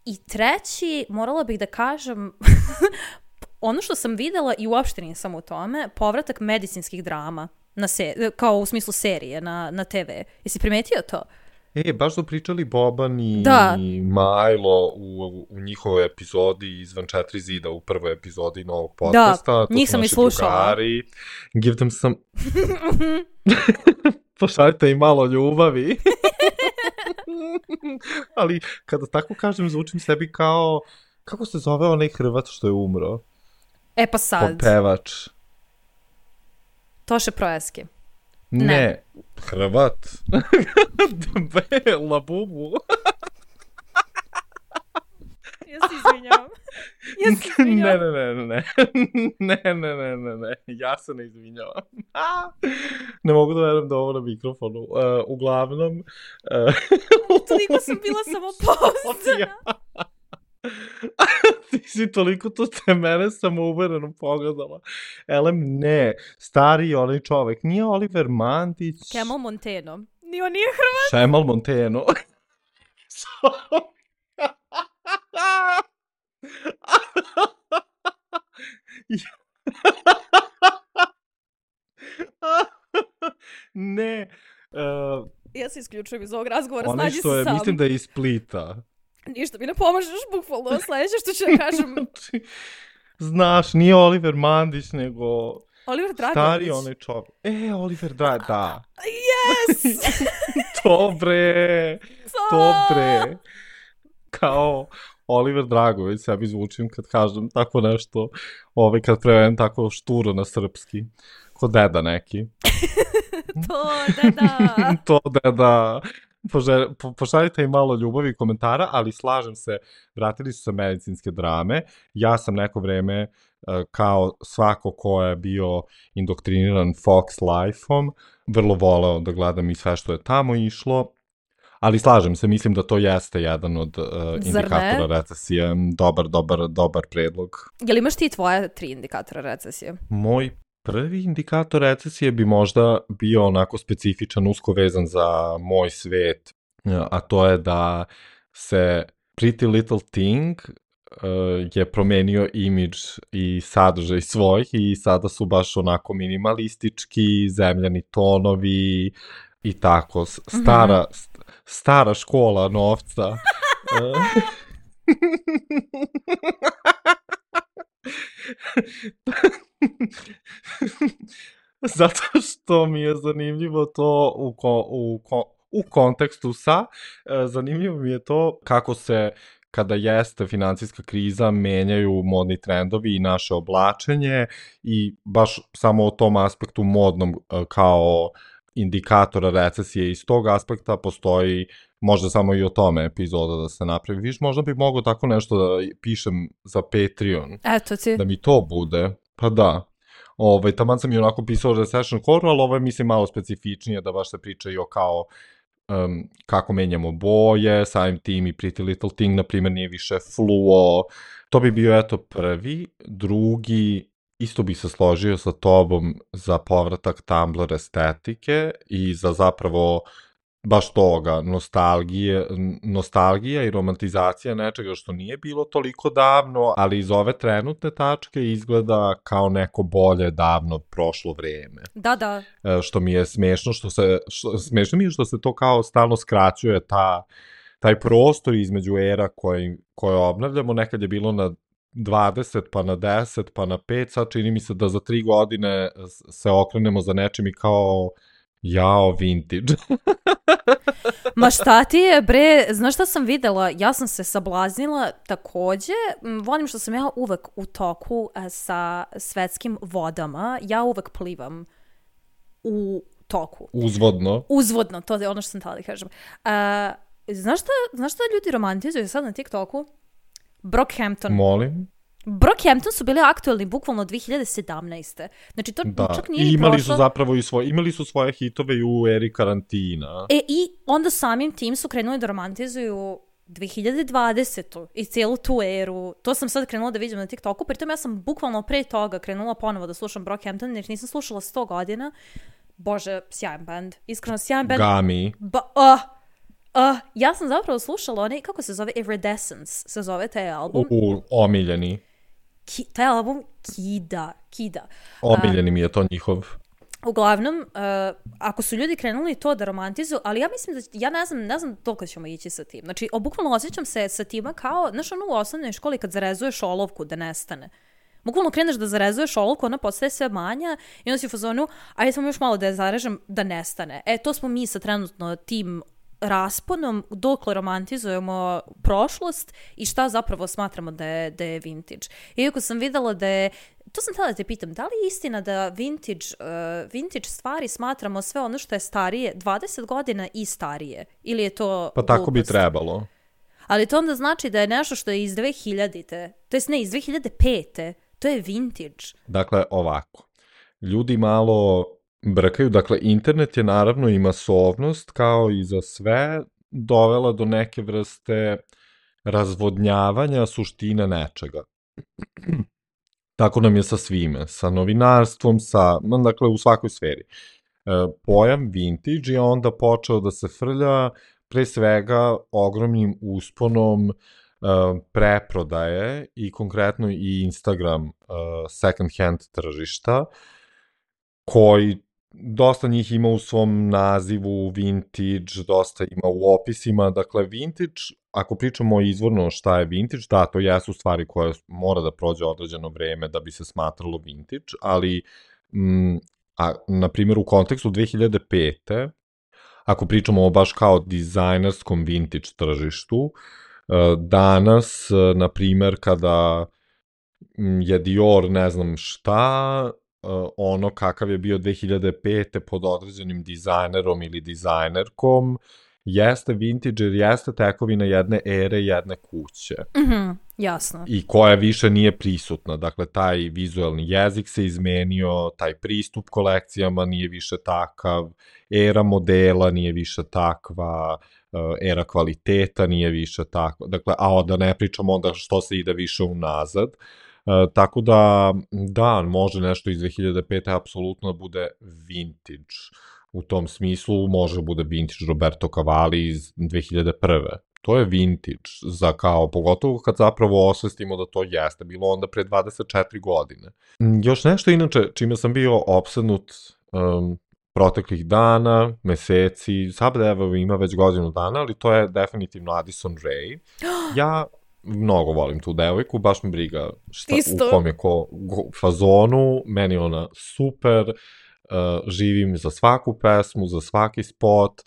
I treći, morala bih da kažem, ono što sam videla i uopšte nisam u tome, povratak medicinskih drama, kao u smislu serije na TV. Jesi primetio to? Baš su pričali Boban i Majlo u njihovoj epizodi izvan 4 zida, u prvoj epizodi novog podcasta. Da, njih sam i slušala. Drugari. Give them some... Pošaljite im malo ljubavi. Ali kada tako kažem, zvučim sebi kao... Kako se zove onaj Hrvat što je umro? Pa sad. Pevač. Toše Proeski. Ne. Hrvat. Labubu. Ja se izvinjavam. Ne. Ja se ne izvinjavam. Ne mogu da verujem da ovo na mikrofonu. Uglavnom... Toliko sam bila samo pouzdana. Ti si toliko to te mene samouvereno pogledala. Elem, ne. Stari onaj čovek. Nije Oliver Mandić. Kemal Monteno. Nije Hrvat. Šemal Monteno. Ne. Ja se isključujem iz ovog razgovora, snađi se sam. Mislim da je iz Splita. Ništa mi ne pomažeš, bukvalno. Sledeće što ću da kažem. Znaš, nije Oliver Mandić, nego... Oliver Dragović. Stari onaj čovjek. Oliver Dragović, da. Yes! Dobre. Kao Oliver Dragović, sebi zvučim kad kažem tako nešto, kad prevedem tako šturo na srpski. Ko deda neki. To deda. Pošaljite im malo ljubavi i komentara, ali slažem se, vratili su se medicinske drame. Ja sam neko vreme, kao svako ko je bio indoktriniran Fox Life-om, vrlo voleo da gledam i sve što je tamo išlo. Ali slažem se, mislim da to jeste jedan od indikatora recesije. Dobar predlog. Jel imaš ti tvoje 3 indikatora recesije? Moj prvi indikator recesije bi možda bio onako specifičan, usko vezan za moj svet, a to je da se Pretty Little Thing je promenio imidž i sadržaj svojih i sada su baš onako minimalistički, zemljani tonovi i tako. Stara škola novca. Zato što mi je zanimljivo to u kontekstu zanimljivo mi je to kako se, kada jeste financijska kriza, menjaju modni trendovi i naše oblačenje i baš samo o tom aspektu modnom kao indikatora recesije iz tog aspekta postoji možda samo i o tome epizoda da se napravi. Viš, možda bi mogao tako nešto da pišem za Patreon. Eto ti. Da mi to bude. Pa da. Taman sam i onako pisao recession horror, ali ovo je mislim malo specifičnije da baš se priča i o kao kako menjamo boje, samim tim i Pretty Little Thing, na primjer, nije više fluo. To bi bio eto prvi. Drugi, isto bi se složio sa tobom za povratak Tumblr estetike i za zapravo baš toga, nostalgija i romantizacija nečega što nije bilo toliko davno, ali iz ove trenutne tačke izgleda kao neko bolje davno prošlo vreme. Da. Što mi je smešno, smešno mi je što se to kao stalno skraćuje taj prostor između era koje obnavljamo. Nekad je bilo na 20, pa na 10, pa na 5, sad čini mi se da za 3 godine se okrenemo za nečim i kao vintage. Ma šta ti je, bre, znaš šta sam videla? Ja sam se sablaznila takođe. Volim što sam ja uvek u toku sa svetskim vodama. Ja uvek plivam u toku. Uzvodno, to je ono što sam htjela da kažem. Znaš šta ljudi romantizuju sad na TikToku? Brockhampton. Molim? Brockhampton su bili aktualni bukvalno 2017. Znači to čak nije i prošlo. Imali su svoje hitove i u eri karantina. I onda samim tim su krenuli da romantizuju 2020. i cijelu tu eru. To sam sad krenula da vidim na TikToku, pritom ja sam bukvalno pre toga krenula ponovo da slušam Brockhampton, jer nisam slušala 100 godina. Bože, sjajan band. Iskreno, sjajan band. Gami. Ja sam zapravo slušala onaj, kako se zove, Iridescence se zove taj album. Omiljeni. taj album kida. Omiljeni mi je to njihov. Uglavnom, ako su ljudi krenuli to da romantizuju, ali ja mislim da, ja ne znam toliko ćemo ići sa tim. Znači, bukvalno osjećam se sa tima kao, znaš, ono u osnovnoj školi kad zarezuješ olovku da nestane. Bukvalno kreneš da zarezuješ olovku, ona postaje sve manja i onda si u fazonu, ajde samo još malo da je zarežem da nestane. To smo mi sa trenutno tim rasponom dokle romantizujemo prošlost i šta zapravo smatramo da je vintage. Iako sam videla da je, to sam htjela da te pitam, da li je istina da vintage stvari smatramo sve ono što je starije, 20 godina i starije? Ili je to Pa tako glupost? bi trebalo. Ali to onda znači da je nešto što je iz 2000-te, to jest ne, iz 2005-te, to je vintage. Dakle, ovako. Ljudi malo brkaju, dakle, internet je naravno i masovnost, kao i za sve, dovela do neke vrste razvodnjavanja suštine nečega. Tako nam je sa svime, sa novinarstvom, dakle, u svakoj sferi. Pojam vintage je onda počeo da se frlja pre svega ogromnim usponom preprodaje i konkretno i Instagram second hand tržišta, koji dosta njih ima u svom nazivu vintage, dosta ima u opisima, dakle vintage, ako pričamo izvorno šta je vintage, da, to jesu stvari koje mora da prođe određeno vreme da bi se smatralo vintage, ali na primjer u kontekstu 2005. Ako pričamo o baš kao dizajnerskom vintage tržištu, danas, na primjer, kada je Dior ne znam šta, ono kakav je bio 2005. pod određenim dizajnerom ili dizajnerkom, jeste vintage jer jeste tekovina jedne ere, jedne kuće. Jasno. I koja više nije prisutna. Dakle, taj vizualni jezik se izmenio, taj pristup kolekcijama nije više takav, era modela nije više takva, era kvaliteta nije više takva. Dakle, a da ne pričamo onda što se ide više unazad. Tako da, može nešto iz 2005. apsolutno bude vintage. U tom smislu može bude vintage Roberto Cavalli iz 2001. To je vintage, pogotovo kad zapravo osvestimo da to jeste bilo onda pre 24 godine. Još nešto inače, čime sam bio opsednut proteklih dana, meseci, sad evo ima već godinu dana, ali to je definitivno Addison Rae. Ja mnogo volim tu devojku, baš mi briga u kom je fazonu, meni ona super, živim za svaku pesmu, za svaki spot,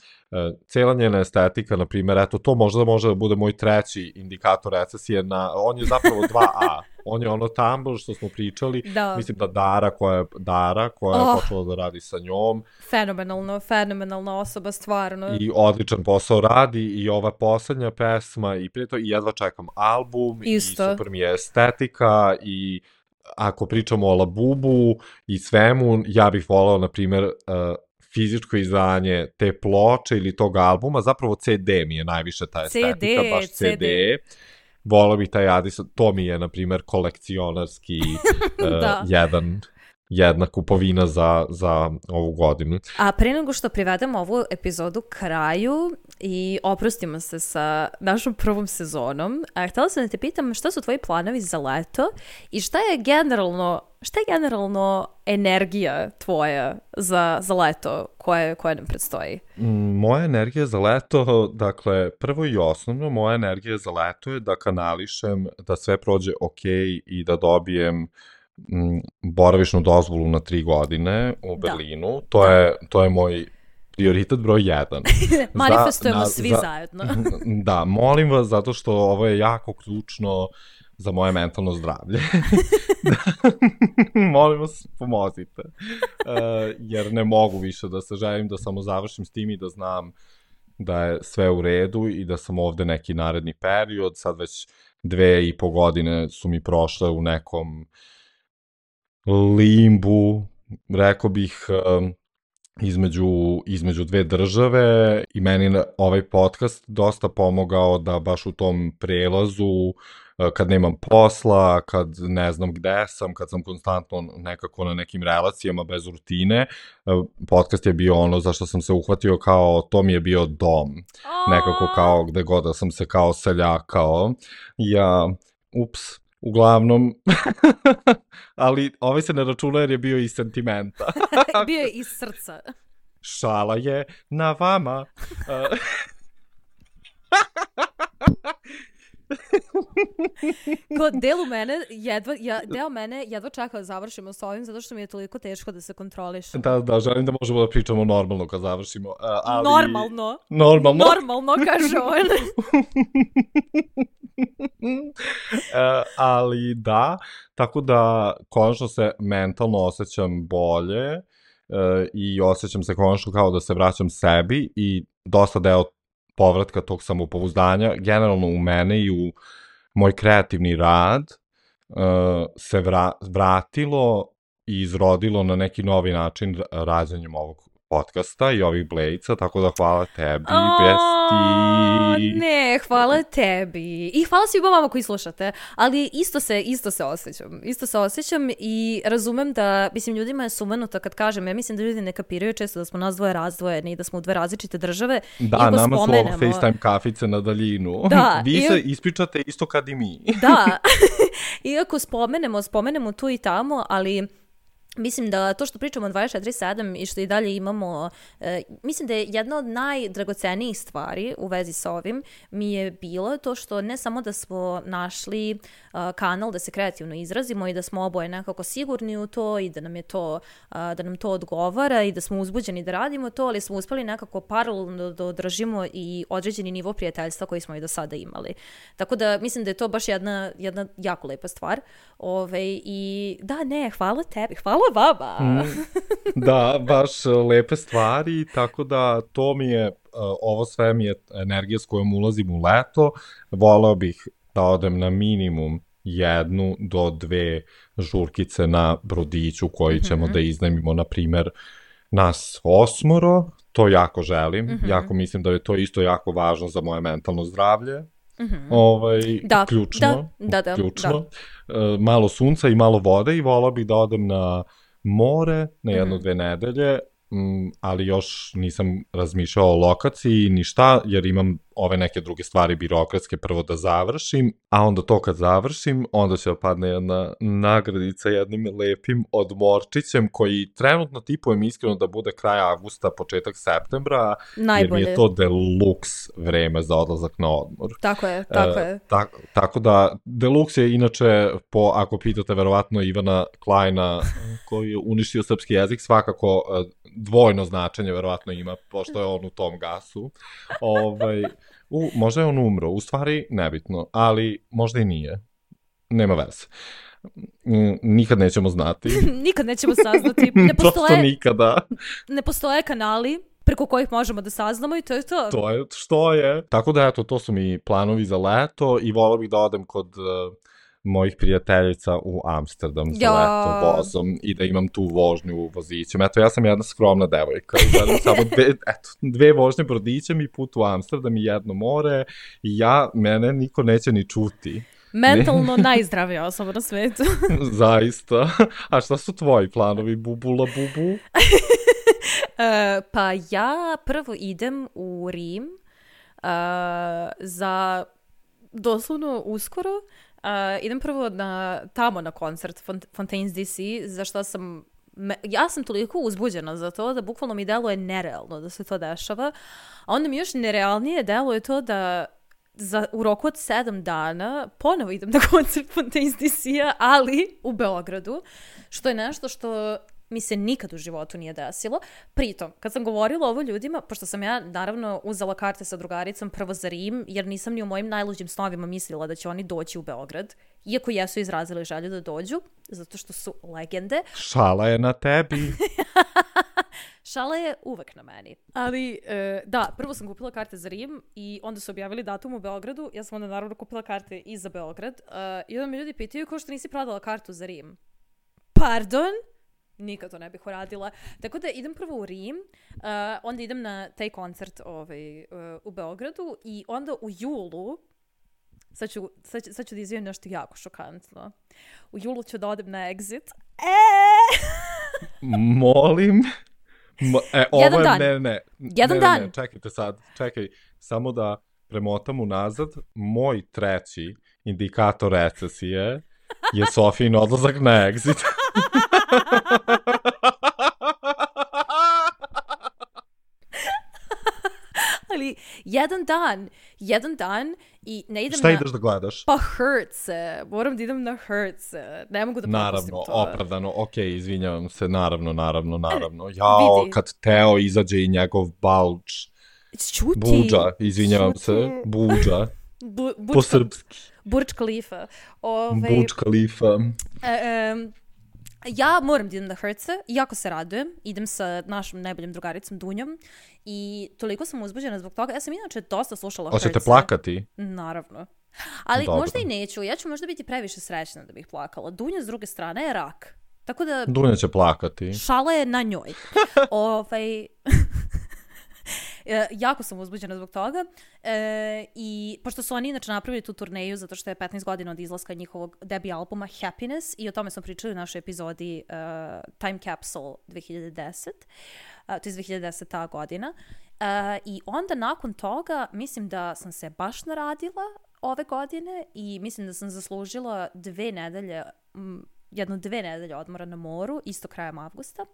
cela njena estetika, na primjer, eto, to možda može da bude moj treći indikator recesije, on je zapravo 2A, on je ono Tumblr što smo pričali, mislim da Dara koja je počela da radi sa njom. Fenomenalna osoba, stvarno. I odličan posao radi i ova poslednja pesma i prije to i jedva čekam album i super mi je estetika i ako pričamo o Labubu i svemu, ja bih volao, na primjer, fizičko izdanje te ploče ili tog albuma, zapravo CD mi je najviše ta estetika, baš CD. Volao bih taj Addison, to mi je, na primjer, kolekcionarski jedna kupovina za ovu godinu. A pre nego što privedemo ovu epizodu kraju i oprostimo se sa našom prvom sezonom, htjela sam da te pitam šta su tvoji planovi za leto i šta je generalno energija tvoja za leto koje nam predstoji? Moja energija za leto, dakle, prvo i osnovno, moja energija za leto je da kanališem, da sve prođe ok i da dobijem boravišnu dozvolu na 3 godine u Berlinu. To je moj prioritet broj 1. Manifestujemo svi zajedno. Da, molim vas, zato što ovo je jako ključno za moje mentalno zdravlje. Molim vas, pomozite. Jer ne mogu više da se želim da samo završim s tim i da znam da je sve u redu i da sam ovde neki naredni period. Sad već 2,5 godine su mi prošle u nekom limbu, rekao bih, između dve države i meni ovaj podcast dosta pomogao da baš u tom prelazu, kad nemam posla, kad ne znam gde sam, kad sam konstantno nekako na nekim relacijama bez rutine, podcast je bio ono za što sam se uhvatio kao, to mi je bio dom, nekako kao gde god da sam se kao seljakao. Uglavnom, ali ovaj se ne računa jer je bio iz sentimenta. Bio je iz srca. Šala je na vama. Deo mene jedva čeka da završimo s ovim, zato što mi je toliko teško da se kontrolišem. Da, želim da možemo da pričamo normalno kad završimo. Ali... Normalno, kaže on. Ali da, tako da konačno se mentalno osjećam bolje i osjećam se konačno kao da se vraćam sebi i dosta deo povratka tog samopouzdanja, generalno u mene i u moj kreativni rad se vratilo i izrodilo na neki novi način rađanjem ovog podcasta i ovih Blejca, tako da hvala tebi, besti. Ne, hvala tebi. I hvala svima vama koji slušate, ali isto se osjećam i razumem da, mislim, ljudima je sumanuto kad kažem, ja mislim da ljudi ne kapiraju često da smo nas dvoje razdvojeni i da smo u dve različite države. Da, nama su ovo FaceTime kafice na daljinu. Da, vi se ispričate isto kad i mi. Da, iako spomenemo tu i tamo, ali... Mislim da to što pričamo 24/7 i što i dalje imamo, mislim da je jedna od najdragocenijih stvari u vezi s ovim mi je bilo to što ne samo da smo našli kanal da se kreativno izrazimo i da smo oboje nekako sigurni u to i da nam to odgovara i da smo uzbuđeni da radimo to, ali smo uspeli nekako paralelno da održimo i određeni nivo prijateljstva koji smo i do sada imali. Tako da mislim da je to baš jedna jako lepa stvar. I da, ne, hvala tebi, hvala vama. Da, baš lepe stvari, tako da to mi je, ovo sve mi je energija s kojom ulazim u leto. Voleo bih da odem na minimum 1 do 2 žurkice na brodiću koji ćemo da iznajmimo, na primer, nas 8, to jako želim, jako mislim da je to isto jako važno za moje mentalno zdravlje. Ključno. Malo sunca i malo vode i volao bih da odem na more na 1-2 nedelje, ali još nisam razmišljao o lokaciji ni šta, jer imam ove neke druge stvari birokratske prvo da završim, a onda to kad završim, onda će padne jedna nagradica jednim lepim odmorčićem koji trenutno tipujem iskreno da bude kraj avgusta, početak septembra, najbolje. Jer mi je to deluxe vreme za odlazak na odmor. Tako je. Tako da, deluxe je inače, ako pitate verovatno Ivana Klajna, koji je uništio srpski jezik, svakako dvojno značenje verovatno ima, pošto je on u tom gasu. Možda je on umro, u stvari nebitno, ali možda i nije. Nema veze. Nikad nećemo znati. Nikad nećemo saznati. Prosto nikada. Ne postoje kanali preko kojih možemo da saznamo i to je to. To je što je. Tako da, eto, to su mi planovi za leto i volao bih da odem kod mojih prijateljica u Amsterdam za leto vozom i da imam tu vožnju vozićem. Eto, ja sam jedna skromna devojka. Želim samo 2 vožnje brodićem i put u Amsterdam i 1 more i mene niko neće ni čuti. Mentalno najzdravija osoba na svetu. Zaista. A šta su tvoji planovi, bubula bubu? Pa ja prvo idem u Rim za doslovno uskoro. Idem prvo tamo na koncert Fontaines DC, za što ja sam toliko uzbuđena za to da bukvalno mi deluje nerealno da se to dešava, a onda mi još nerealnije deluje to da u roku od 7 dana ponovo idem na koncert Fontaines DC-a, ali u Beogradu, što je nešto što mi se nikad u životu nije desilo. Pritom, kad sam govorila ovo ljudima, pošto sam ja naravno uzela karte sa drugaricom prvo za Rim, jer nisam ni u mojim najluđim snovima mislila da će oni doći u Beograd, iako jesu izrazili želju da dođu, zato što su legende. Šala je na tebi. Šala je uvek na meni. Ali, da, prvo sam kupila karte za Rim i onda su objavili datum u Beogradu. Ja sam onda naravno kupila karte i za Beograd. I onda me ljudi pitaju kao što nisi prodala kartu za Rim. Pardon? Nikad to ne bih uradila. Tako da idem prvo u Rim, onda idem na taj koncert u Beogradu i onda u julu, sad ću da izvijem nešto jako šokantno. U julu ću da odem na Exit. Molim. Jedan dan. Ne, čekajte sad. Samo da premotam unazad. Moj 3. indikator recesije je Sofijin odlazak na Exit. Ali jedan dan i ne idem Šta ideš da gledaš? Pa Hurt se, moram da idem na Hurt se, ne mogu da propustim to. Naravno, opravdano, okej, izvinjavam se, naravno. Jao, kad Teo izađe i njegov balč. Čuti. Buđa, izvinjavam se, buđa. Po srpski. Burj Khalifa. Burj Khalifa. Ja moram da idem na Herce, jako se radujem, idem sa našom najboljom drugaricom Dunjom i toliko sam uzbuđena zbog toga. Ja sam inače dosta slušala Herce. Hoćete plakati? Naravno. Ali dobro. Možda i neću, ja ću možda biti previše srećna da bih plakala. Dunja s druge strane je rak. Tako da... Dunja će plakati. Šala je na njoj. Jako sam uzbuđena zbog toga i pošto su oni inače napravili tu turneju zato što je 15 godina od izlaska njihovog debi albuma Happiness i o tome smo pričali u našoj epizodi Time Capsule 2010, to je 2010. godina i onda nakon toga mislim da sam se baš naradila ove godine i mislim da sam zaslužila 2 nedelje odmora na moru isto krajem avgusta.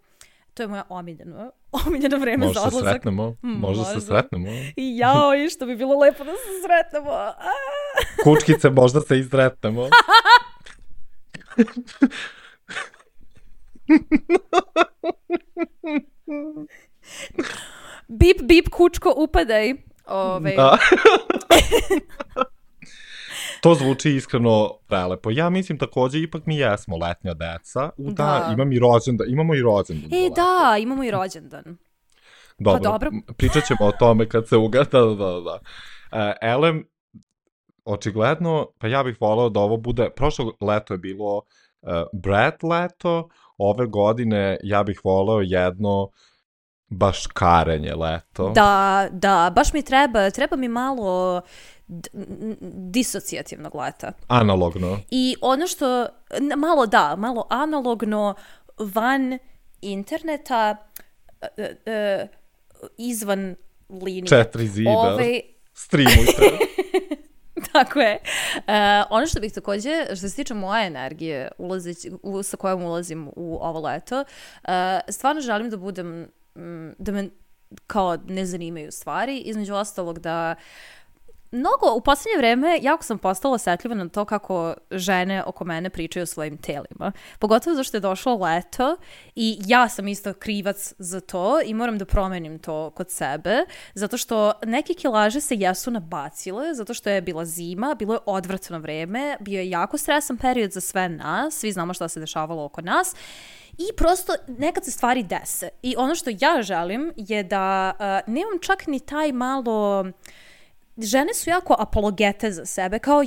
To je moja omiljeno vreme za odlazak. Možda se sretnemo. I jao, i što bi bilo lepo da se sretnemo. Kučkice, možda se i sretnemo. Bip, bip, kučko, upadaj. Da. To zvuči iskreno prelepo. Ja mislim takođe, ipak mi jesmo letnja deca. Da, imamo i rođendan. Da, imamo i rođendan. Dobro. Pričat ćemo o tome kad se ugada. Da. Elem, očigledno, pa ja bih voleo da ovo bude, prošlo leto je bilo Brat leto, ove godine ja bih voleo jedno baškarenje leto. Da, baš mi treba mi malo disocijativnog leta. Analogno. I ono što, malo analogno, van interneta, izvan linije. 4 zida, streamujte. Tako je. Ono što bih takođe, što se tiče moje energije sa kojom ulazim u ovo leto, stvarno želim da budem, da me kao ne zanimaju stvari, između ostalog da u posljednje vreme jako sam postala osetljiva na to kako žene oko mene pričaju o svojim telima. Pogotovo zašto je došlo leto i ja sam isto krivac za to i moram da promenim to kod sebe, zato što neke kilaže se jesu nabacile, zato što je bila zima, bilo je odvratno vreme, bio je jako stresan period za sve nas, svi znamo šta se dešavalo oko nas. I prosto nekad se stvari dese. I ono što ja želim je da nemam čak ni taj malo... Žene su jako apologete za sebe, kao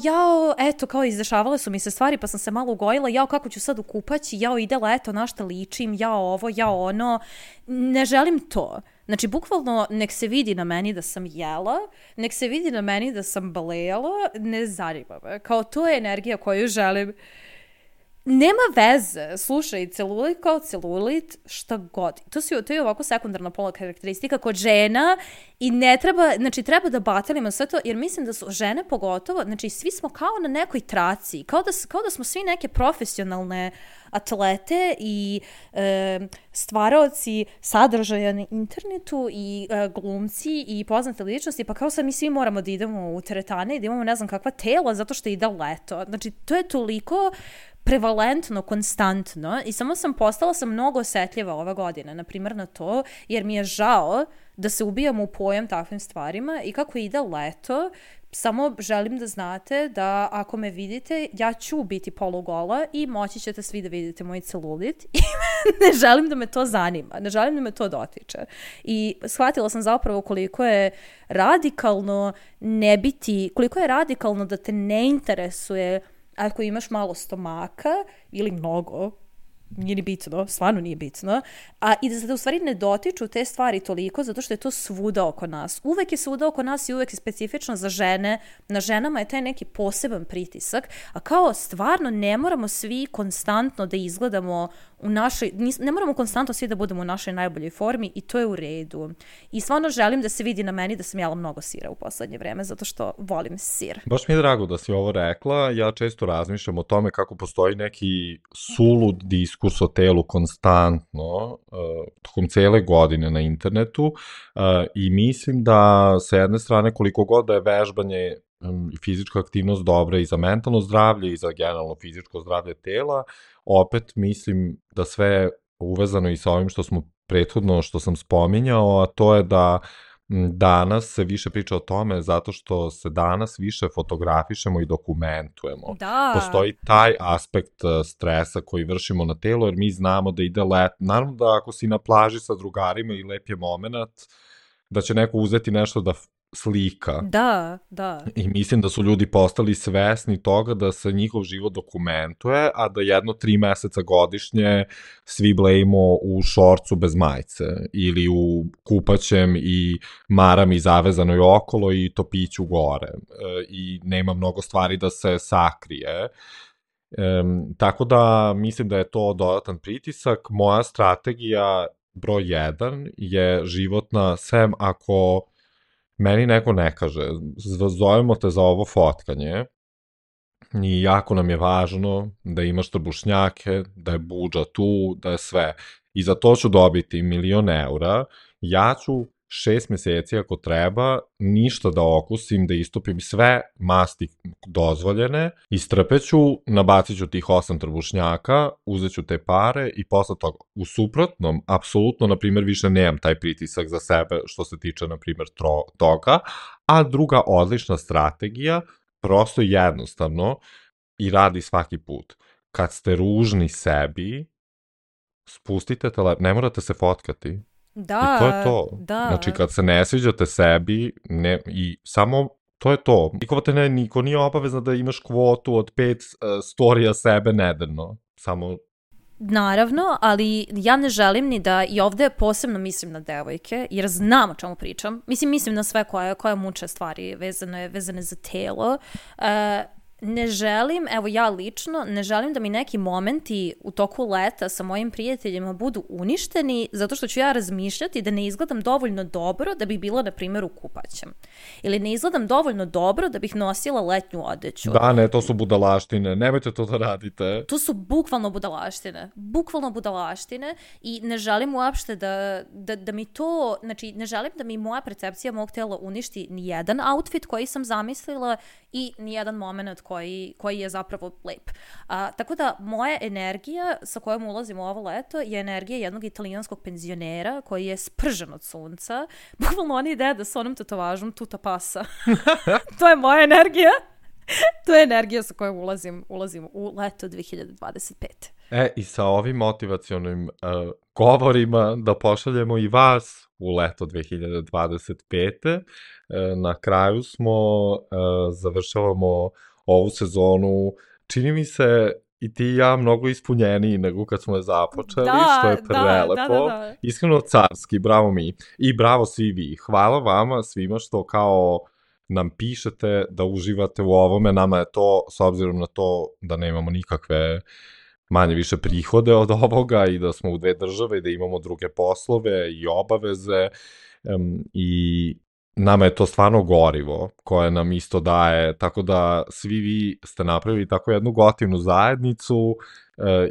kao izdešavale su mi se stvari pa sam se malo ugojila, kako ću sad u kupaći, ide leto, na šta ličim, ovo, ono. Ne želim to. Znači, bukvalno, nek se vidi na meni da sam jela, nek se vidi na meni da sam balejala, ne zanima me. Kao to je energija koju želim. Nema veze, slušaj, celulit kao celulit, šta god. To je ovako sekundarna pola karakteristika kod žena i ne treba, znači treba da batelimo sve to, jer mislim da su žene pogotovo, znači svi smo kao na nekoj traci, kao da smo svi neke profesionalne atlete i stvaraoci sadržaja na internetu i glumci i poznate ličnosti, pa kao sad mi svi moramo da idemo u teretane i da imamo ne znam kakva tela zato što ide leto. Znači to je toliko prevalentno, konstantno i samo sam postala mnogo osetljiva ova godina, na primjer na to, jer mi je žao da se ubijamo u pojam takvim stvarima i kako ide leto, samo želim da znate da ako me vidite, ja ću biti polugola i moći ćete svi da vidite moj celulit i ne želim da me to zanima, ne želim da me to dotiče. I shvatila sam zapravo koliko je radikalno koliko je radikalno da te ne interesuje ako imaš malo stomaka ili mnogo, nije ni bitno, stvarno nije bitno, i da se u stvari ne dotiču te stvari toliko zato što je to svuda oko nas. Uvek je svuda oko nas i uvek je specifično za žene. Na ženama je taj neki poseban pritisak, a kao stvarno ne moramo svi konstantno da izgledamo ne moramo konstantno svi da budemo u našoj najboljoj formi i to je u redu. I stvarno želim da se vidi na meni da sam jela mnogo sira u poslednje vreme, zato što volim sir. Baš mi je drago da si ovo rekla. Ja često razmišljam o tome kako postoji neki sulud diskurs o telu konstantno tokom cele godine na internetu i mislim da sa jedne strane koliko god da je vežbanje i fizička aktivnost dobra i za mentalno zdravlje i za generalno fizičko zdravlje tela, opet mislim da sve uvezano i sa ovim što smo prethodno, što sam spominjao, a to je da danas se više priča o tome zato što se danas više fotografišemo i dokumentujemo. Da. Postoji taj aspekt stresa koji vršimo na telo, jer mi znamo da ide let. Naravno da ako si na plaži sa drugarima i lep je moment, da će neko uzeti nešto da slika. Da, da. I mislim da su ljudi postali svesni toga da se njihov život dokumentuje, a da 1-3 meseca godišnje svi blejimo u šorcu bez majice ili u kupaćem i marami zavezanoj okolo i topiću gore. I nema mnogo stvari da se sakrije. Tako da mislim da je to dodatan pritisak. Moja strategija broj 1 je životna, sem ako meni neko ne kaže, zovemo te za ovo fotkanje i jako nam je važno da imaš trbušnjake, da je budža tu, da je sve. I za to ću dobiti 1.000.000 eura, ja ću 6 meseci ako treba, ništa da okusim, da istopim sve masti dozvoljene, istrpeću, nabacit ću tih 8 trbušnjaka, uzet ću te pare i posle toga. U suprotnom, apsolutno, na primjer, više nemam taj pritisak za sebe što se tiče, na primjer, toga, a druga odlična strategija, prosto jednostavno, i radi svaki put. Kad ste ružni sebi, spustite telefon, ne morate se fotkati. Da, i to je to. Da. Znači, kad se ne sviđate sebi, i samo to je to. Niko nije obavezno da imaš kvotu od 5 storija sebe nedeljno. Samo... Naravno, ali ja ne želim ni da, i ovde posebno mislim na devojke, jer znam o čemu pričam. Mislim na sve koje muče stvari vezane za telo. Ne želim, evo ja lično, ne želim da mi neki momenti u toku leta sa mojim prijateljima budu uništeni zato što ću ja razmišljati da ne izgledam dovoljno dobro da bih bila, na primjer, u kupaćem. Ili ne izgledam dovoljno dobro da bih nosila letnju odeću. Da, ne, to su budalaštine. Nemojte to da radite. To su bukvalno budalaštine i ne želim uopšte da mi to, znači ne želim da mi moja percepcija mog tela uništi ni jedan outfit koji sam zamislila i ni jedan moment koji je zapravo lep. Tako da moja energija sa kojom ulazim u ovo leto je energija jednog italijanskog penzionera koji je spržen od sunca. Bukvalno on ide da sa onom tetovažom tuta pasa. To je moja energija. To je energija sa kojom ulazim u leto 2025. I sa ovim motivacionim govorima da pošaljemo i vas u leto 2025. Na kraju smo, završavamo ovu sezonu, čini mi se i ti i ja mnogo ispunjeniji nego kad smo je započeli, što je prelepo. Da. Iskreno carski, bravo mi. I bravo svi vi. Hvala vama svima što kao nam pišete da uživate u ovome. Nama je to, s obzirom na to da nemamo nikakve manje više prihode od ovoga i da smo u 2 države i da imamo druge poslove i obaveze i nama je to stvarno gorivo koje nam isto daje, tako da svi vi ste napravili tako jednu gotivnu zajednicu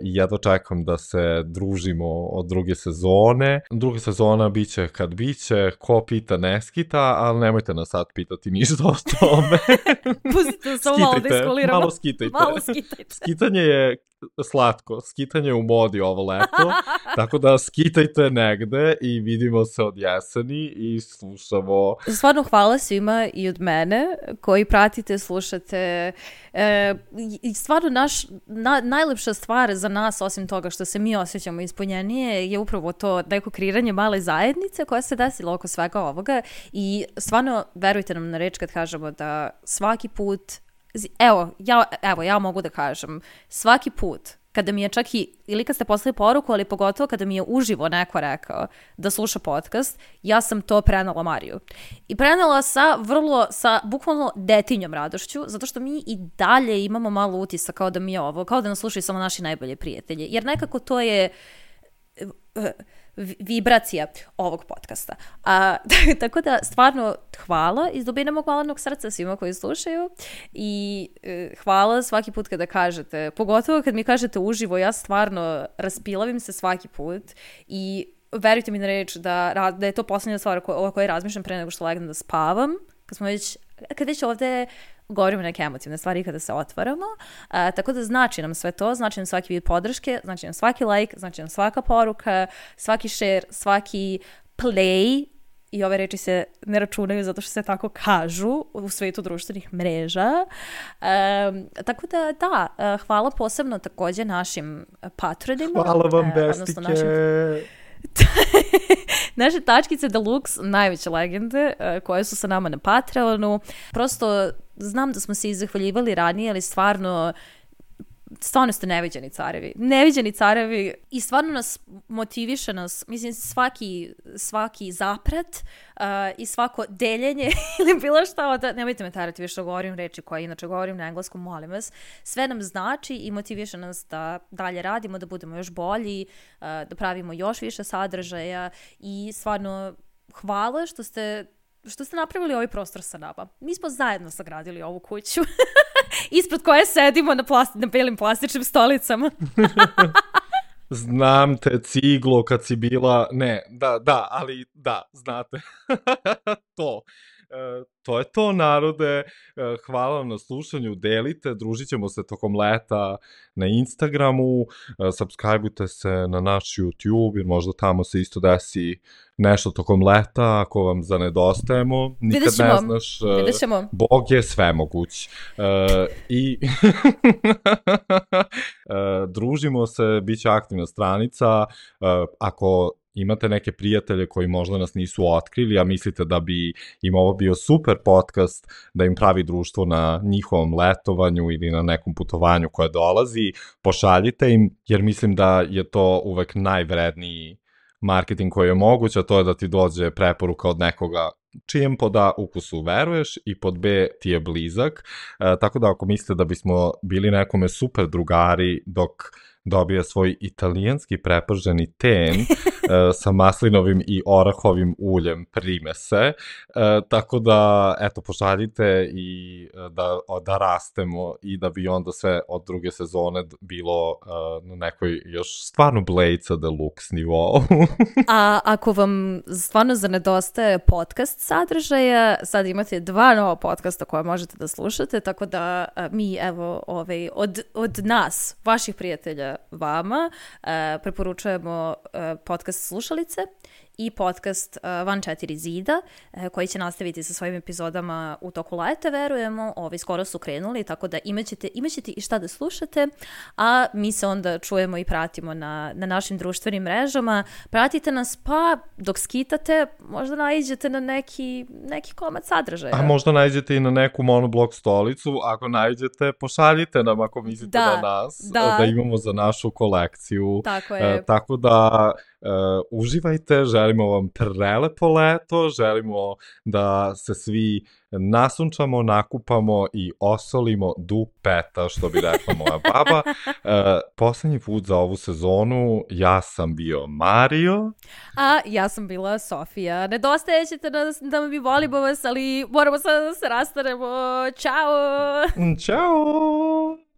i jedva čekam da se družimo od druge sezone. Druga sezona biće kad biće, ko pita ne skita, ali nemojte nas sad pitati ništa o tome. Pustite samo malo da iskuliramo. Malo skitajte. Skitanje je slatko, skitanje je u modi ovo leto, tako da skitajte negde i vidimo se od jeseni i slušamo. Stvarno hvala svima i od mene koji pratite, slušate. I stvarno najlepša stvar za nas, osim toga što se mi osjećamo ispunjenije, je upravo to neko kreiranje male zajednice koja se desila oko svega ovoga i stvarno verujte nam na reč kad kažemo da svaki put, ja mogu da kažem, svaki put kada mi je čak ili kad ste poslali poruku, ali pogotovo kada mi je uživo neko rekao da sluša podcast, ja sam to prenela Mariju. I prenela sa bukvalno detinjom radošću, zato što mi i dalje imamo malo utisak kao da mi je ovo, kao da nas slušaju samo naši najbolji prijatelji. Jer nekako to je vibracija ovog podcasta. Tako da stvarno hvala iz dubine mog malenog srca svima koji slušaju i hvala svaki put kada kažete, pogotovo kad mi kažete uživo, ja stvarno raspilavim se svaki put i verujte mi na reč da je to posljednja stvar o kojoj razmišljam pre nego što legnem da spavam, kad već ovde govorimo neke emotivne stvari kada se otvaramo, tako da znači nam sve to, znači nam svaki vid podrške, znači nam svaki like, znači nam svaka poruka, svaki share, svaki play, i ove reči se ne računaju zato što se tako kažu u svetu društvenih mreža. Tako da, hvala posebno također našim patronima. Hvala vam, bestike! Naše tačkice Deluxe, najveće legende koje su sa nama na Patreonu. Prosto znam da smo se i zahvaljivali ranije, ali stvarno ste neviđeni carevi i stvarno nas motiviše mislim svaki zapret i svako deljenje ili bilo šta, nemojte me tarati više govorim reči koje inače govorim na engleskom, molim vas, sve nam znači i motiviše nas da dalje radimo, da budemo još bolji, da pravimo još više sadržaja i stvarno hvala što ste napravili ovaj prostor sa nama. Mi smo zajedno sagradili ovu kuću ispred koje sedimo na belim plastičnim stolicama. Znam te, ciglo, kad si bila... Ne, ali znate. To je to, narode. Hvala vam na slušanju, delite, družit ćemo se tokom leta na Instagramu, subscribeujte se na naš YouTube, jer možda tamo se isto desi nešto tokom leta, ako vam zanedostajemo. Nikad ne znaš, Bog je svemoguć. I družimo se, bit će aktivna stranica, ako imate neke prijatelje koji možda nas nisu otkrili, a mislite da bi im ovo bio super podcast, da im pravi društvo na njihovom letovanju ili na nekom putovanju koje dolazi, pošaljite im, jer mislim da je to uvek najvredniji marketing koji je moguć, a to je da ti dođe preporuka od nekoga čijem pod A ukusu veruješ i pod B ti je blizak, tako da ako mislite da bismo bili nekome super drugari dok dobije svoj italijanski preprženi ten sa maslinovim i orahovim uljem, prime se. Tako da, eto, pošaljite i da rastemo i da bi onda sve od druge sezone bilo na nekoj još stvarno Blejca Deluxe nivou. A ako vam stvarno zanedostaje podcast sadržaja, sad imate 2 nova podcasta koje možete da slušate, tako da mi, evo, od nas, vaših prijatelja, vama, preporučujemo podcast Slušalice i podcast Van 4 zida, koji će nastaviti sa svojim epizodama u toku leta, verujemo. Skoro su krenuli, tako da imaćete i šta da slušate, a mi se onda čujemo i pratimo na našim društvenim mrežama. Pratite nas, pa dok skitate, možda naiđete na neki komad sadržaja. A možda naiđete i na neku monoblok stolicu. Ako naiđete, pošaljite nam ako mislite na nas, da imamo za našu kolekciju. Tako je. Tako da uživajte, želimo vam prelepo leto, želimo da se svi nasunčamo, nakupamo i osolimo dupeta, što bi rekla moja baba. Poslednji put za ovu sezonu ja sam bio Mario. A ja sam bila Sofija. Nedostaje ćete da mi volimo vas, ali moramo sada da se rastanemo. Ćao! Ćao!